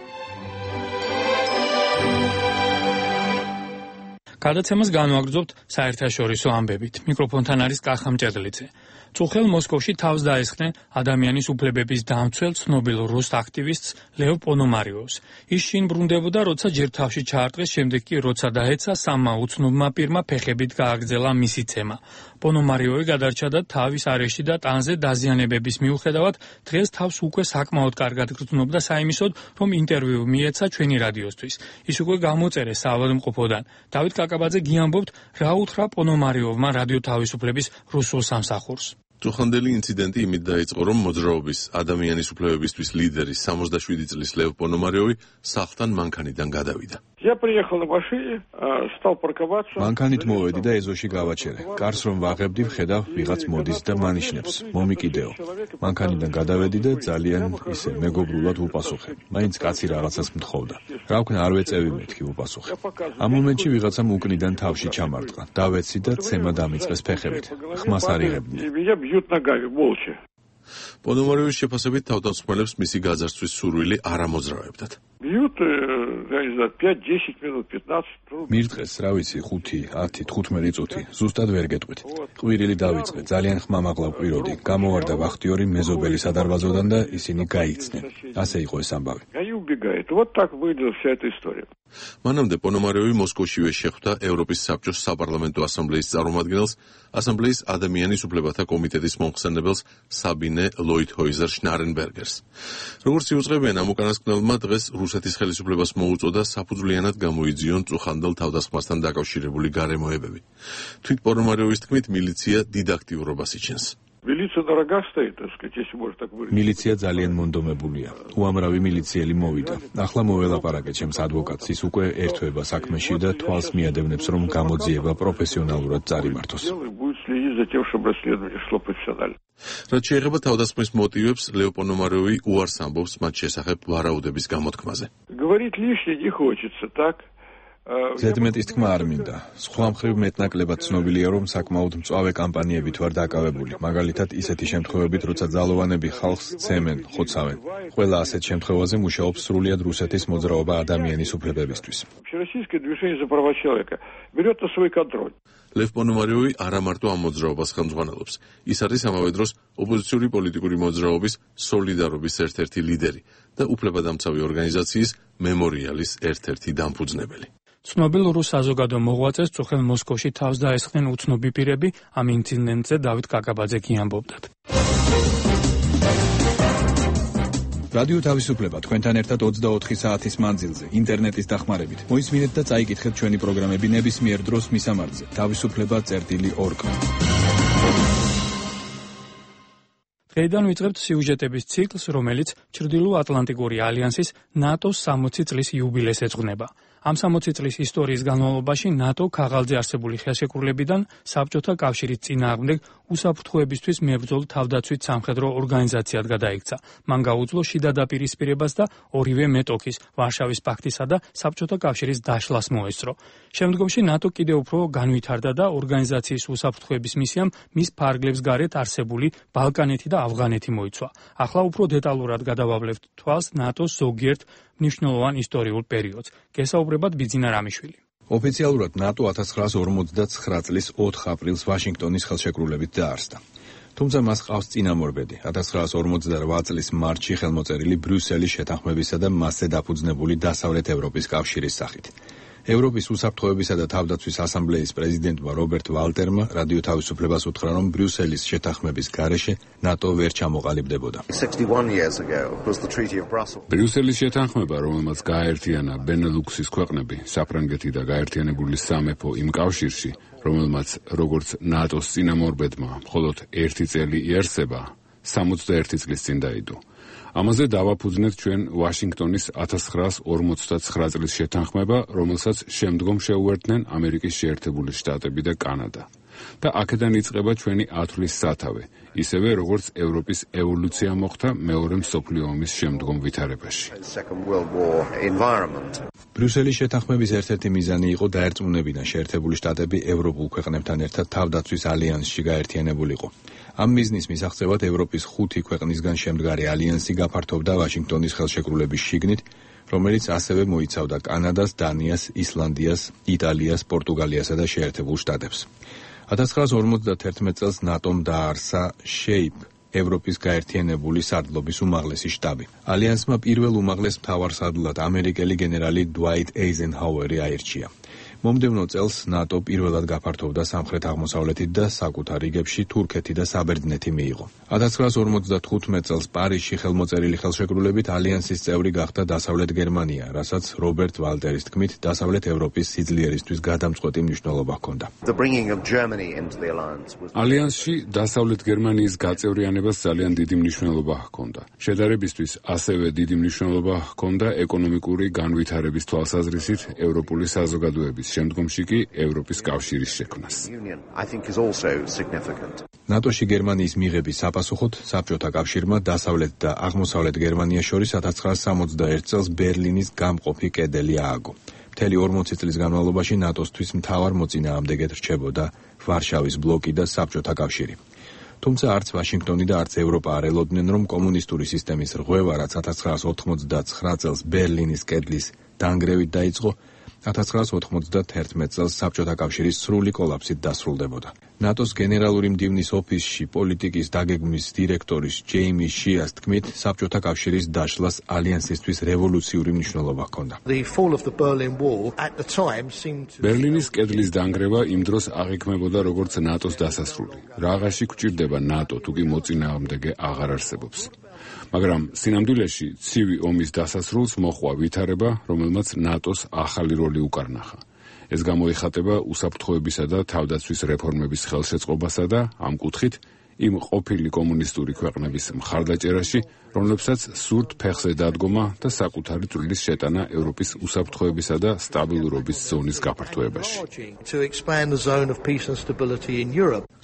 გადაცემას განვაგრძობთ საერთაშორისო ამბებით. მიკროფონთან არის კახა მჭედლიძე. წუხელ მოსკოვში თავს დაესხნენ ადამიანის უფლებების დამცველ ცნობილ რუს აქტივისტს ლევ პონომარიოვს. ის შინ ბრუნდებოდა, როცა ჯერ თავში ჩაარტყეს, შემდეგ კი როცა დაეცა სამმა უცნობმა პირმა ფეხებით გააგრძელა მისი ცემა. პონომარიოვი გადარჩა და თავის არეში და ტანზე დაზიანებების მიუხედავად დღეს თავს უკვე საკმაოდ კარგად გრძნობდა საიმისოდ, რომ ინტერვიუ მიეცა ჩვენი რადიოსთვის. ის უკვე გამოწერეს საავადმყოფოდან. დავით კაკაბაძე გიამბობთ, რა უთხრა პონომარიოვმა რადიო თავისუფლების რუსულ სამსახურს. წუხანდელი ინციდენტი იმით დაიწყო, რომ მოძრაობის ადამიანის უფლებებისთვის ლიდერი სამოცდაშვიდი წლის ლევ პონომარიოვი სახლთან მანქანიდან გადავიდა. Я приехал на машине, стал парковаться. მანქანით მოვედი და ეზოში გავაჩერე. კარს რომ ვაღებდი, ვხედავ ვიღაც მოდის და მანიშნებს. მომიკიდეო. მანქანიდან გადავედი და ძალიან ისე მეგობრულად ვუპასუხე. მაინც კაცი რაღაცას მთხოვდა. რა ვქნა, არ ვეწევი მეთქი ვუპასუხე. ამ მომენტში ვიღაცამ უკნიდან თავში ჩამარტყა. დავეცი და ცემა დამიწყეს ფეხებით. ხმას არ იღებდნენ. პონომარიოვის შეფასებით თავდამსხმელებს მისი გაძარცვის სურვილი არ ამოძრავებდათ. მირტყეს, რა ვიცი, ხუთი, ათი, თხუთმეტი წუთი, ზუსტად ვერ გეტყვით. ყვირილი დავიწყე, ძალიან ხმამაღლა ვყვიროდი. გამოვარდა ვახტიორი მეზობელი სადარბაზოდან და ისინი გაიქცნენ. ასე იყო ეს ამბავი. მანამდე პონომარიოვი მოსკოვშივე შეხვდა ევროპის საბჭოს საპარლამენტო ასამბლეის წარმომადგენელს, ასამბლეის ადამიანის უფლებათა კომიტეტის მომხსენებელს საბინე ლოითჰოიზერ შნარენბერგერს. როგორც იუწყებიან ამ უკანასკნელმა, დღეს რუსეთის ხელისუფლებას მოუწოდა საფუძვლიანად გამოიძიონ წუხანდელ თავდასხმასთან დაკავშირებული გარემოებები. თვით პონომარიოვის თქმით, მილიცია დიდ აქტიურობას იჩენს. მილიცია ძალიან მონდომებულია. უამრავი მილიციელი მოვიდა. ახლა მოველაპარაკე ჩემს ადვოკატს, ის უკვე ერთვება საქმეში და თვალს მიადევნებს, რომ გამოძიება პროფესიონალურად წარიმართოს. რაც შეეხება თავდასხმის მოტივებს, ლევ პონომარიოვი უარს ამბობს მათ შესახებ ვარაუდების გამოთქმაზე. ზედმეტის თქმა არ მინდა. სხვა მხრივ მეტნაკლებად ცნობილია, რომ საკმაოდ მწვავე კამპანიებით ვარ დაკავებული. მაგალითად, ისეთი შემთხვევებით, როცა ძალოვანები ხალხს ცემენ, ხოცავენ. ყველა ასეთ შემთხვევაზე მუშაობს სრულიად რუსეთის მოძრაობა ადამიანის უფლებებისთვის. ლევ პონომარიოვი არა მარტო ამ მოძრაობას ხელმძღვანელობს. ის არის ამავე დროს ოპოზიციური პოლიტიკური მოძრაობის სოლიდარობის ერთ-ერთი ლიდერი და უფლებადამცავი ორგანიზაციის მემორიალის ერთ-ერთი დამფუძნებელი. ცნობილ რუს საზოგადო მოღვაწეს წუხელ მოსკოვში თავს დაესხნენ უცნობი პირები. ამ ინციდენტზე დავით კაკაბაძე გიამბობდათ. რადიო თავისუფლება თქვენთან ერთად ოცდაოთხი საათის მანძილზე, ინტერნეტის დახმარებით. მოისმინეთ და წაიკითხეთ ჩვენი პროგრამები ნებისმიერ დროს მისამართზე. თავისუფლება წერტილი ორგ. დღეიდან ვიწყებთ სიუჟეტების ციკლს, რომელიც ჩრდილო-ატლანტიკური ალიანსის ნატოს სამოცი წლის იუბილეს ეძღვნება. ამ სამოცი წლის ისტორიის განმავლობაში ნატო ქაღალდზე არსებული ხელშეკრულებიდან საბჭოთა კავშირის წინააღმდეგ უსაფრთხოებისთვის მებრძოლ თავდაცვით სამხედრო ორგანიზაციად გადაიქცა. მან გაუძლო შიდა დაპირისპირებას და ორივე მეტოქის, ვარშავის პაქტისა და საბჭოთა კავშირის დაშლას მოესწრო. შემდგომში ნატო კიდევ უფრო განვითარდა და ორგანიზაციის უსაფრთხოების მისიამ მის ფარგლებს გარეთ არსებული ბალკანეთი და ავღანეთი მოიცვა. ახლა უფრო დეტალურად გადავავლებთ თვალს ნატოს ზოგიერთ მნიშვნელოვან ისტორიულ პერიოდს. გესაუბრებად ბიძინა რამიშვილი. ოფიციალურად ნატო ათას ცხრაას ორმოცდაცხრა წლის ოთხ აპრილს ვაშინგტონის ხელშეკრულებით დაარსდა. თუმცა მას ყავს წინამორბედი. ათას ცხრაას ორმოცდარვა წლის მარტში ხელმოწერილი ბრიუსელის შეთანხმებისა და მასზე დაფუძნებული დასავლეთ ევროპის კავშირის სახით. ევროპის უსაფრთხოებისა და თავდაცვის ასამბლეის პრეზიდენტმა რობერტ ვალტერმა რადიო თავისუფლებას უთხრა, რომ ბრიუსელის შეთანხმების გარეშე ნატო ვერ ჩამოყალიბდებოდა. ბრიუსელის შეთანხმება, რომელმაც გააერთიანა ბენელუქსის ქვეყნები, საფრანგეთი და გაერთიანებული სამეფო იმ კავშირში, რომელმაც როგორც ნატოს წინამორბედმა მხოლოდ ერთი წელი იარსება, სამოცდაერთი წლის წინ დაიდო. ამაზე დავაფუძნეთ ჩვენ ვაშინგტონის ათას ცხრაას ორმოცდაცხრა წლის შეთანხმება, რომელსაც შემდგომ შეუერთდნენ ამერიკის შეერთებული შტატები და კანადა. და აქედან იწყება ჩვენი ათვლის სათავე, ისევე როგორც ევროპის ევოლუცია მოხდა მეორე მსოფლიო ომის შემდგომ ვითარებაში. ბრიუსელის შეთანხმების ერთ-ერთი მიზანი იყო დაერწმუნებინა შეერთებული შტატები ევროპულ ქვეყნებთან ერთად თავდაცვის ალიანსში გაერთიანებულიყო. ამ მიზნის მისაღწევად ევროპის ხუთი ქვეყნისგან შემდგარი ალიანსი გაფართოვდა ვაშინგტონის ხელშეკრულების შიგნით, რომელიც ასევე მოიცავდა კანადას, დანიას, ისლანდიას, იტალიას, პორტუგალიასა და შეერთებულ შტატებს. ათას ცხრაას ორმოცდათერთმეტ წელს ნატომ დაარსა შეიპ, ევროპის გაერთიანებული სარდლობის უმაღლესი შტაბი. ალიანსმა პირველ უმაღლეს მთავარსარდლად ამერიკელი გენერალი დუაიტ ეიზენჰაუერი აირჩია. მომდევნო წელს ნატო პირველად გაფართოვდა სამხრეთ-აღმოსავლეთით და საკუთარ რიგებში თურქეთი და საბერძნეთი მიიღო. ათას ცხრაას ორმოცდათხუთმეტ წელს პარიზში ხელმოწერილი ხელშეკრულებით ალიანსის წევრი გახდა დასავლეთ გერმანია, რასაც რობერტ ვალტერის თქმით დასავლეთ ევროპის სიძლიერისთვის გადამწყვეტი მნიშვნელობა ჰქონდა. ალიანსში დასავლეთ გერმანიის გაწევრიანებას ძალიან დიდი მნიშვნელობა ჰქონდა. შედარებისთვის ასევე დიდი მნიშვნელობა ჰქონდა ეკონომიკური განვითარების თვალსაზრისით ევროპული საზოგადოების, შემდგომში კი ევროპის კავშირის შექმნას. ნატოში გერმანიის მიღების საპასუხოდ საბჭოთა კავშირმა დასავლეთ და აღმოსავლეთ გერმანიას შორის ათას ცხრაას სამოცდაერთ წელს ბერლინის გამყოფი კედელი ააგო. მთელი ორმოცი წლის განმავლობაში ნატოსთვის მთავარ მოწინააღმდეგედ რჩებოდა ვარშავის ბლოკი და საბჭოთა კავშირი. თუმცა არც ვაშინგტონი და არც ევროპა არ ელოდნენ, რომ კომუნისტური სისტემის რღვევა, რაც ათას ცხრაას ოთხმოცდაცხრა წელს ბერლინის კედლის დანგრევით დაიწყო, ათას ცხრაას ოთხმოცდათერთმეტ წელს საბჭოთა კავშირის სრული კოლაფსით დასრულდებოდა. ნატოს გენერალური მდივნის ოფისში პოლიტიკის დაგეგმვის დირექტორის ჯეიმი შიას თქმით, საბჭოთა კავშირის დაშლას ალიანსისთვის რევოლუციური მნიშვნელობა ჰქონდა. ბერლინის კედლის დანგრევა იმ დროს აღიქმებოდა როგორც ნატოს დასასრული. რაღაცში გვჭირდება ნატო, თუ კი მოწინააღმდეგე აღარ არსებობს. მაგრამ სინამდვილეში ცივი ომის დასასრულს მოჰყვა ვითარება, რომელმაც ნატოს ახალი როლი უკარნახა. ეს გამოიხატება უსაფრთხოებისა და თავდაცვის რეფორმების ხელშეწყობასა და ამ კუთხით იმ ყოფილი კომუნისტური ქვეყნების მხარდაჭერაში, რომლებსაც სურთ ფეხზე დადგომა და საკუთარი წვლილის შეტანა ევროპის უსაფრთხოებისა და სტაბილურობის ზონის გაფართოებაში.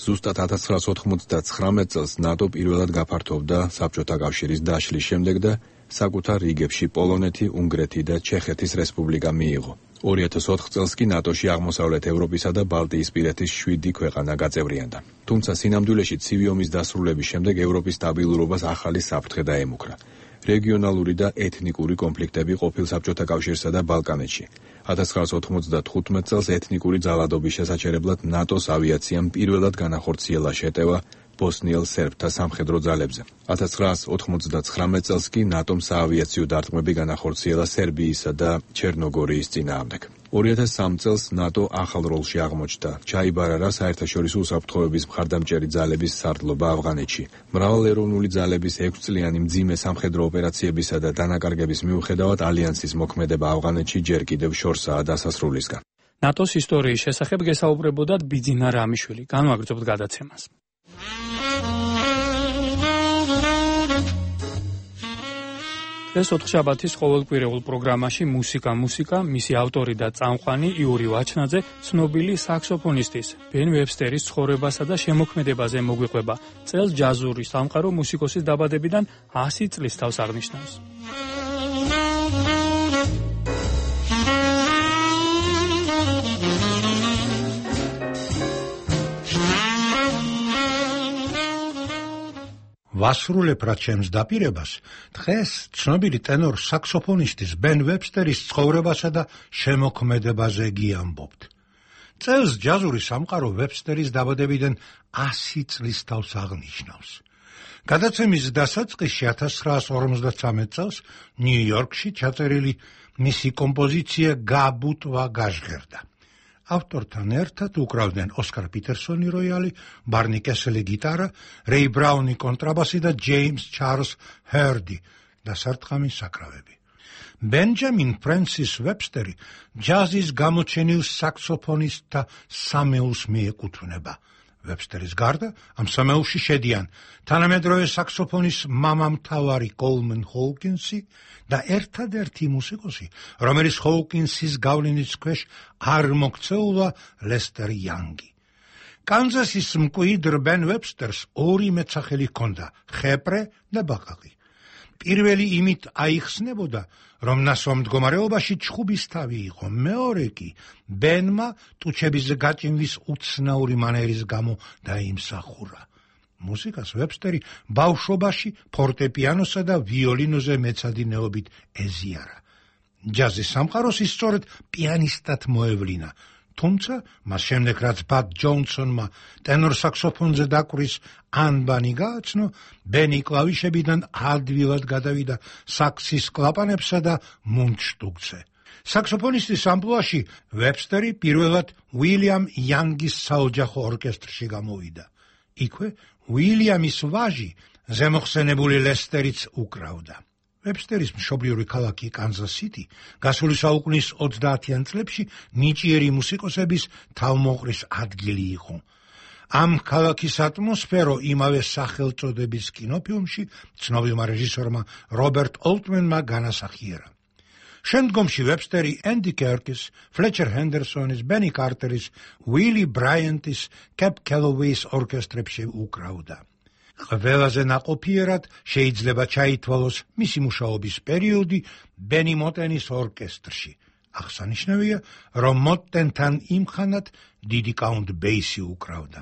ზუსტად ათას ცხრაას ოთხმოცდაცხრამეტ წელს ნატო პირველად გაფართოვდა საბჭოთა კავშირის დაშლის შემდეგ და საკუთარ რიგებში პოლონეთი, უნგრეთი და ჩეხეთის რესპუბლიკა მიიღო. ორი ათას ოთხ წელს კი ნატოში აღმოსავლეთ ევროპისა და ბალტიისპირეთის შვიდი ქვეყანა გაწევრიანდა. თუმცა სინამდვილეში ცივი ომის დასრულების შემდეგ ევროპის სტაბილურობას ახალი საფრთხე დაემუქრა. რეგიონალური და ეთნიკური კონფლიქტები ყოფილ საბჭოთა კავშირსა და ბალკანეთში. ათას ცხრაას ოთხმოცდათხუთმეტ წელს ეთნიკური ძალადობის შესაჩერებლად ნატოს ავიაციამ პირველად განახორციელა შეტევა ბოსნიელ სერბთა სამხედრო ძალებზე. ათას ცხრაას ოთხმოცდაცხრამეტ წელს კი ნატომ საავიაციო დარტყმები განახორციელა სერბიისა და ჩერნოგორიის წინააღმდეგ. ორი ათას სამ წელს ნატო ახალ როლში აღმოჩნდა. ჩაიბარა საერთაშორისო უსაფრთხოების მხარდამჭერი ძალების სარდლობა ავღანეთში. მრავალეროვნული ძალების ექვსწლიანი მძიმე სამხედრო ოპერაციებისა და დანაკარგების მიუხედავად ალიანსის მოქმედება ავღანეთში ჯერ კიდევ შორსაა დასასრულისგან. ნატოს ისტორიის შესახებ გესაუბრებოდათ ბიძინა რამიშვილი. განვაგრძობთ გადაცემას. ეს ოთხშაბათის ყოველკვირეულ პროგრამაში მუსიკა მუსიკა მისი ავტორი და წამყვანი იური ვაჩნაძე ცნობილი საქსოფონისტის ბენ ვებსტერის ცხოვრებასა და შემოქმედებაზე მოგვიყვება. წელს ჯაზური სამყარო მუსიკოსის დაბადებიდან ასი წლის თავს აღნიშნავს. ვასრულებ რა ჩემს დაპირებას, დღეს ცნობილი ტენორ საქსოფონისტის ბენ ვებსტერის ცხოვრებასა და შემოქმედებაზე გიამბობთ. წელს ჯაზური სამყარო ვებსტერის დაბადებიდან ასი წლის თავს აღნიშნავს. გადაცემის დასაწყისში ათას ცხრაას ორმოცდათვრამეტ წელს ნიუ-იორკში ჩაწერილი მისი კომპოზიცია გაბუტვა გაჟღერდა. ავტორთან ერთად უკრავდნენ ოსკარ პიტერსონი როიალი, ბარნი კესელი გიტარა, რეი ბრაუნი კონტრაბასი და ჯეიმს ჩარლს ჰერდი დასარტყამი საკრავები. ბენჯამინ ფრენსის ვებსტერი ჯაზის გამოჩენილ საქსოფონისტთა სამეულს მიეკუთვნება. ვებსტერის გარდა ამ სამეულში შედიან თანამედროვე საქსოფონის მამამთავარი კოლმენ ჰოუკინსი და ერთადერთი მუსიკოსი, რომელიც ჰოუკინსის გავლენის ქვეშ არ მოქცეულა, ლესტერ იანგი. კანზასის მკვიდრ ბენ ვებსტერს ორი მეცახელი ჰქონდა, ხეპრე და ბაყაყი. პირველი იმით აიხსნებოდა, რომ ნასვამ მდგომარეობაში ჩხუბის თავი იყო, მეორე კი ბენმა ტუჩების გაჭიმვის უცნაური მანერის გამო დაიმსახურა. მუსიკას ვებსტერი ბავშვობაში ფორტეპიანოსა და ვიოლინოზე მეცადინეობით ეზიარა. ჯაზის სამყაროს ის სწორედ პიანისტად მოევლინა. თუმცა მას შემდეგ რაც ბად ჯონსონმა ტენორ საქსოფონზე დაკვრის ანბანი გააცნო, ბენი კლავიშებიდან ადვილად გადავიდა საქსის კლაპანებსა და მუნდშტუკზე. საქსოფონისტის ამპლუაში ვებსტერი პირველად უილიამ იანგის საოჯახო ორკესტრში გამოვიდა. იქვე უილიამის ვაჟი, ზემოხსენებული ლესტერიც უკრავდა. ვებსტერის მშობლიური ქალაქი კანზას-სიტი გასული საუკუნის ოცდაათიან წლებში ნიჭიერი მუსიკოსების თავმოყრის ადგილი იყო. ამ ქალაქის ატმოსფერო იმავე სახელწოდების კინოფილმში ცნობილმა რეჟისორმა რობერტ ოლტმენმა განასახიერა. შემდგომში ვებსტერი ენდი კერკის, ფლეჩერ ჰენდერსონის, ბენი კარტერის, უილი ბრაიანტის, კეპ კელოვეის ორკესტრებში უკრავდა. ყველაზე ნაყოფიერად შეიძლება ჩაითვალოს მისი მუშაობის პერიოდი ბენი მოტენის ორკესტრში. აღსანიშნავია, რომ მოტენთან იმხანად დიდი კაუნტ ბეისი უკრავდა.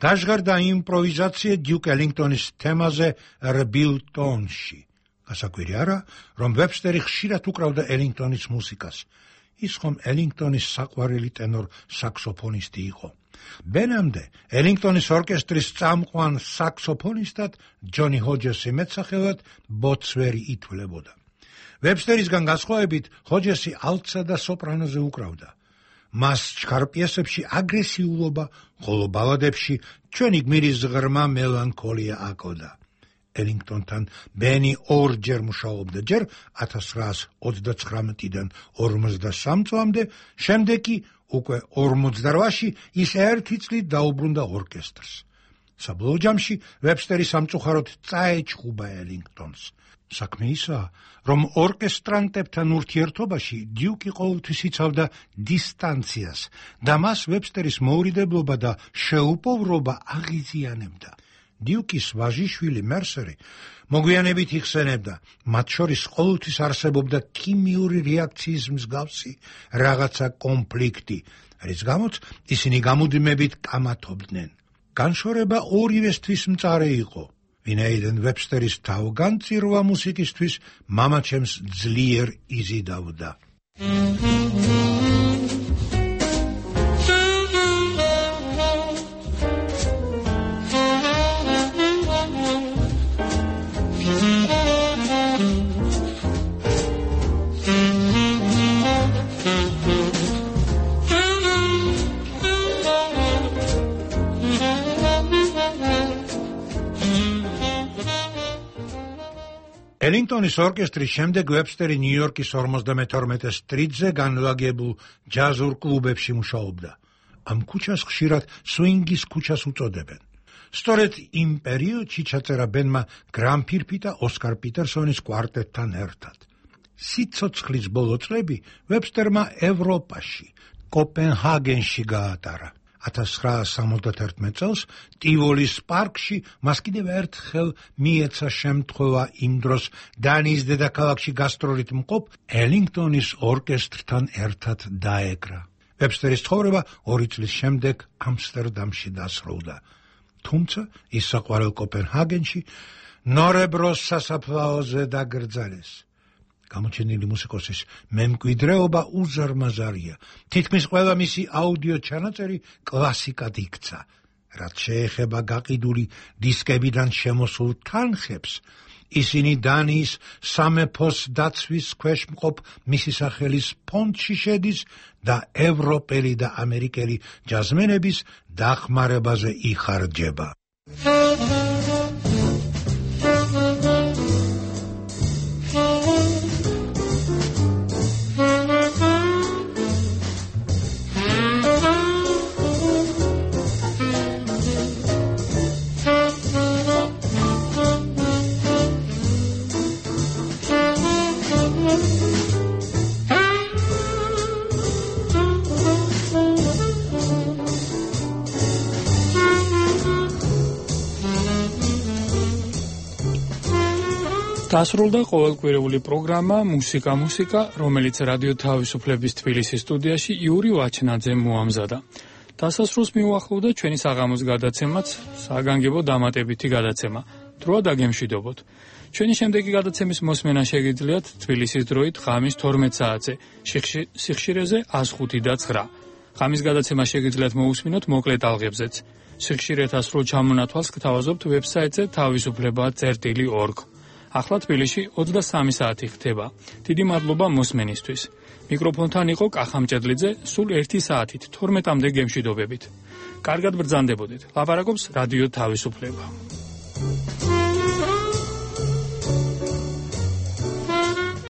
გაჟღერდა იმპროვიზაცია დიუკ ელინგტონის თემაზე რბილტონში. გასაკვირი არა, რომ ვებსტერი ხშირად უკრავდა ელინგტონის მუსიკას. ის ხომ ელინგტონის საყვარელი ტენორ საქსოფონისტი იყო. ბენამდე ელინგტონის ორკესტრის წამყვან საქსოფონისტად ჯონი ჰოჯესი მეტსახელად ბოცვერი ითვლებოდა. ვებსტერისგან განსხვავებით, ჰოჯესი ალტსა და სოპრანოზე უკრავდა. მას ჩქარ პიესებში აგრესიულობა, ხოლო ბალადებში ჩვენი გმირის ღრმა მელანქოლია აკოდა. ელინგტონთან ბენი ორჯერ მუშაობდა, ჯერ ათას ცხრაას ოცდაცხრამეტიდან ორმოცდასამ წლამდე, შემდეგ კი უკვე ორმოცდაოთხში ის ერთი წლით დაუბრუნდა ორკესტრს. საბოლოო ჯამში ვებსტერი სამწუხაროდ წაეჩხუბა ელინგტონს. საქმე ისაა, რომ ორკესტრანტებთან ურთიერთობაში დიუკი ყოველთვის იცავდა დისტანციას და მას ვებსტერის მოურიდებლობა და შეუპოვრობა აღიზიანებდა. დიუკის ვაჟიშვილი მერსერი მოგვიანებით იხსენებდა, მათ შორის ყოველთვის არსებობდა ქიმიური რეაქციის მსგავსი რაღაცა კონფლიქტი, რის გამოც ისინი გამუდმებით კამათობდნენ. განშორება ორივესთვის მწარე იყო. ვინაიდან ვებსტერის თავგანწირვა მუსიკისთვის მამაჩემს ძლიერ იზიდავდა. ელინგტონის ორკესტრის შემდეგ ვებსტერი ნიუ-იორკის ორმოცდამეთორმეტე სტრიტზე განლაგებულ ჯაზურ კლუბებში მუშაობდა. ამ ქუჩას ხშირად სვინგის ქუჩას უწოდებენ. სწორედ იმ პერიოდში ჩაწერა ბენმა გრამფირფი და ოსკარ პიტერსონის კვარტეტთან ერთად. სიცოცხლის ბოლო წლები ვებსტერმა ევროპაში, კოპენჰაგენში გაატარა. ათას ცხრაას სამოცდათერთმეტ წელს ტივოლის პარკში მას კიდევ ერთხელ მიეცა შემთხვევა იმ დროს დანიის დედაქალაქში გასტროლით მყოფ ელინგტონის ორკესტრთან ერთად დაეკრა. ვებსტერის ცხოვრება ორი წლის შემდეგ ამსტერდამში დასრულდა. თუმცა ის საყვარელ კოპენჰაგენში ნორებროს სასაფლაოზე დაკრძალეს. გამოჩენილი მუსიკოსის მემკვიდრეობა უზარმაზარია. თითქმის ყველა მისი აუდიო ჩანაწერი კლასიკად იქცა. რაც შეეხება გაყიდული დისკებიდან შემოსულ თანხებს, ისინი დანიის სამეფოს დაცვის ქვეშ მყოფ მისი სახელის ფონდში შედის და ევროპელი და ამერიკელი ჯაზმენების დახმარებაზე იხარჯება. დასრულდა ყოველკვირეული პროგრამა მუსიკა მუსიკა, რომელიც რადიო თავისუფლების თბილისის სტუდიაში იური ვაჩნაძემ მოამზადა. დასასრულს მიუახლოვდა ჩვენი საღამოს გადაცემაც, საგანგებო დამატებითი გადაცემა. დროა დაგემშვიდობოთ. ჩვენი შემდეგი გადაცემის მოსმენა შეგიძლიათ თბილისის დროით ღამის თორმეტ საათზე, სიხშირეზე ას ხუთი და ცხრა. ღამის გადაცემა შეგიძლიათ მოусმინოთ მოკლე ტალღებზეც. სიხშირეთა სრულ ჩამონათვალს გთავაზობთ ვებსაიტზე თავისუფლება წერტილი ორგ. ახლა თბილისში ოცდასამი საათი ხდება. დიდი მადლობა მოსმენისთვის. მიკროფონთან იყო კახამჭედლიძე, სულ ერთი საათით თორმეტამდე გემშვიდობებით. კარგად ბრძანდებოდეთ. ლაპარაკობს რადიო თავისუფლება.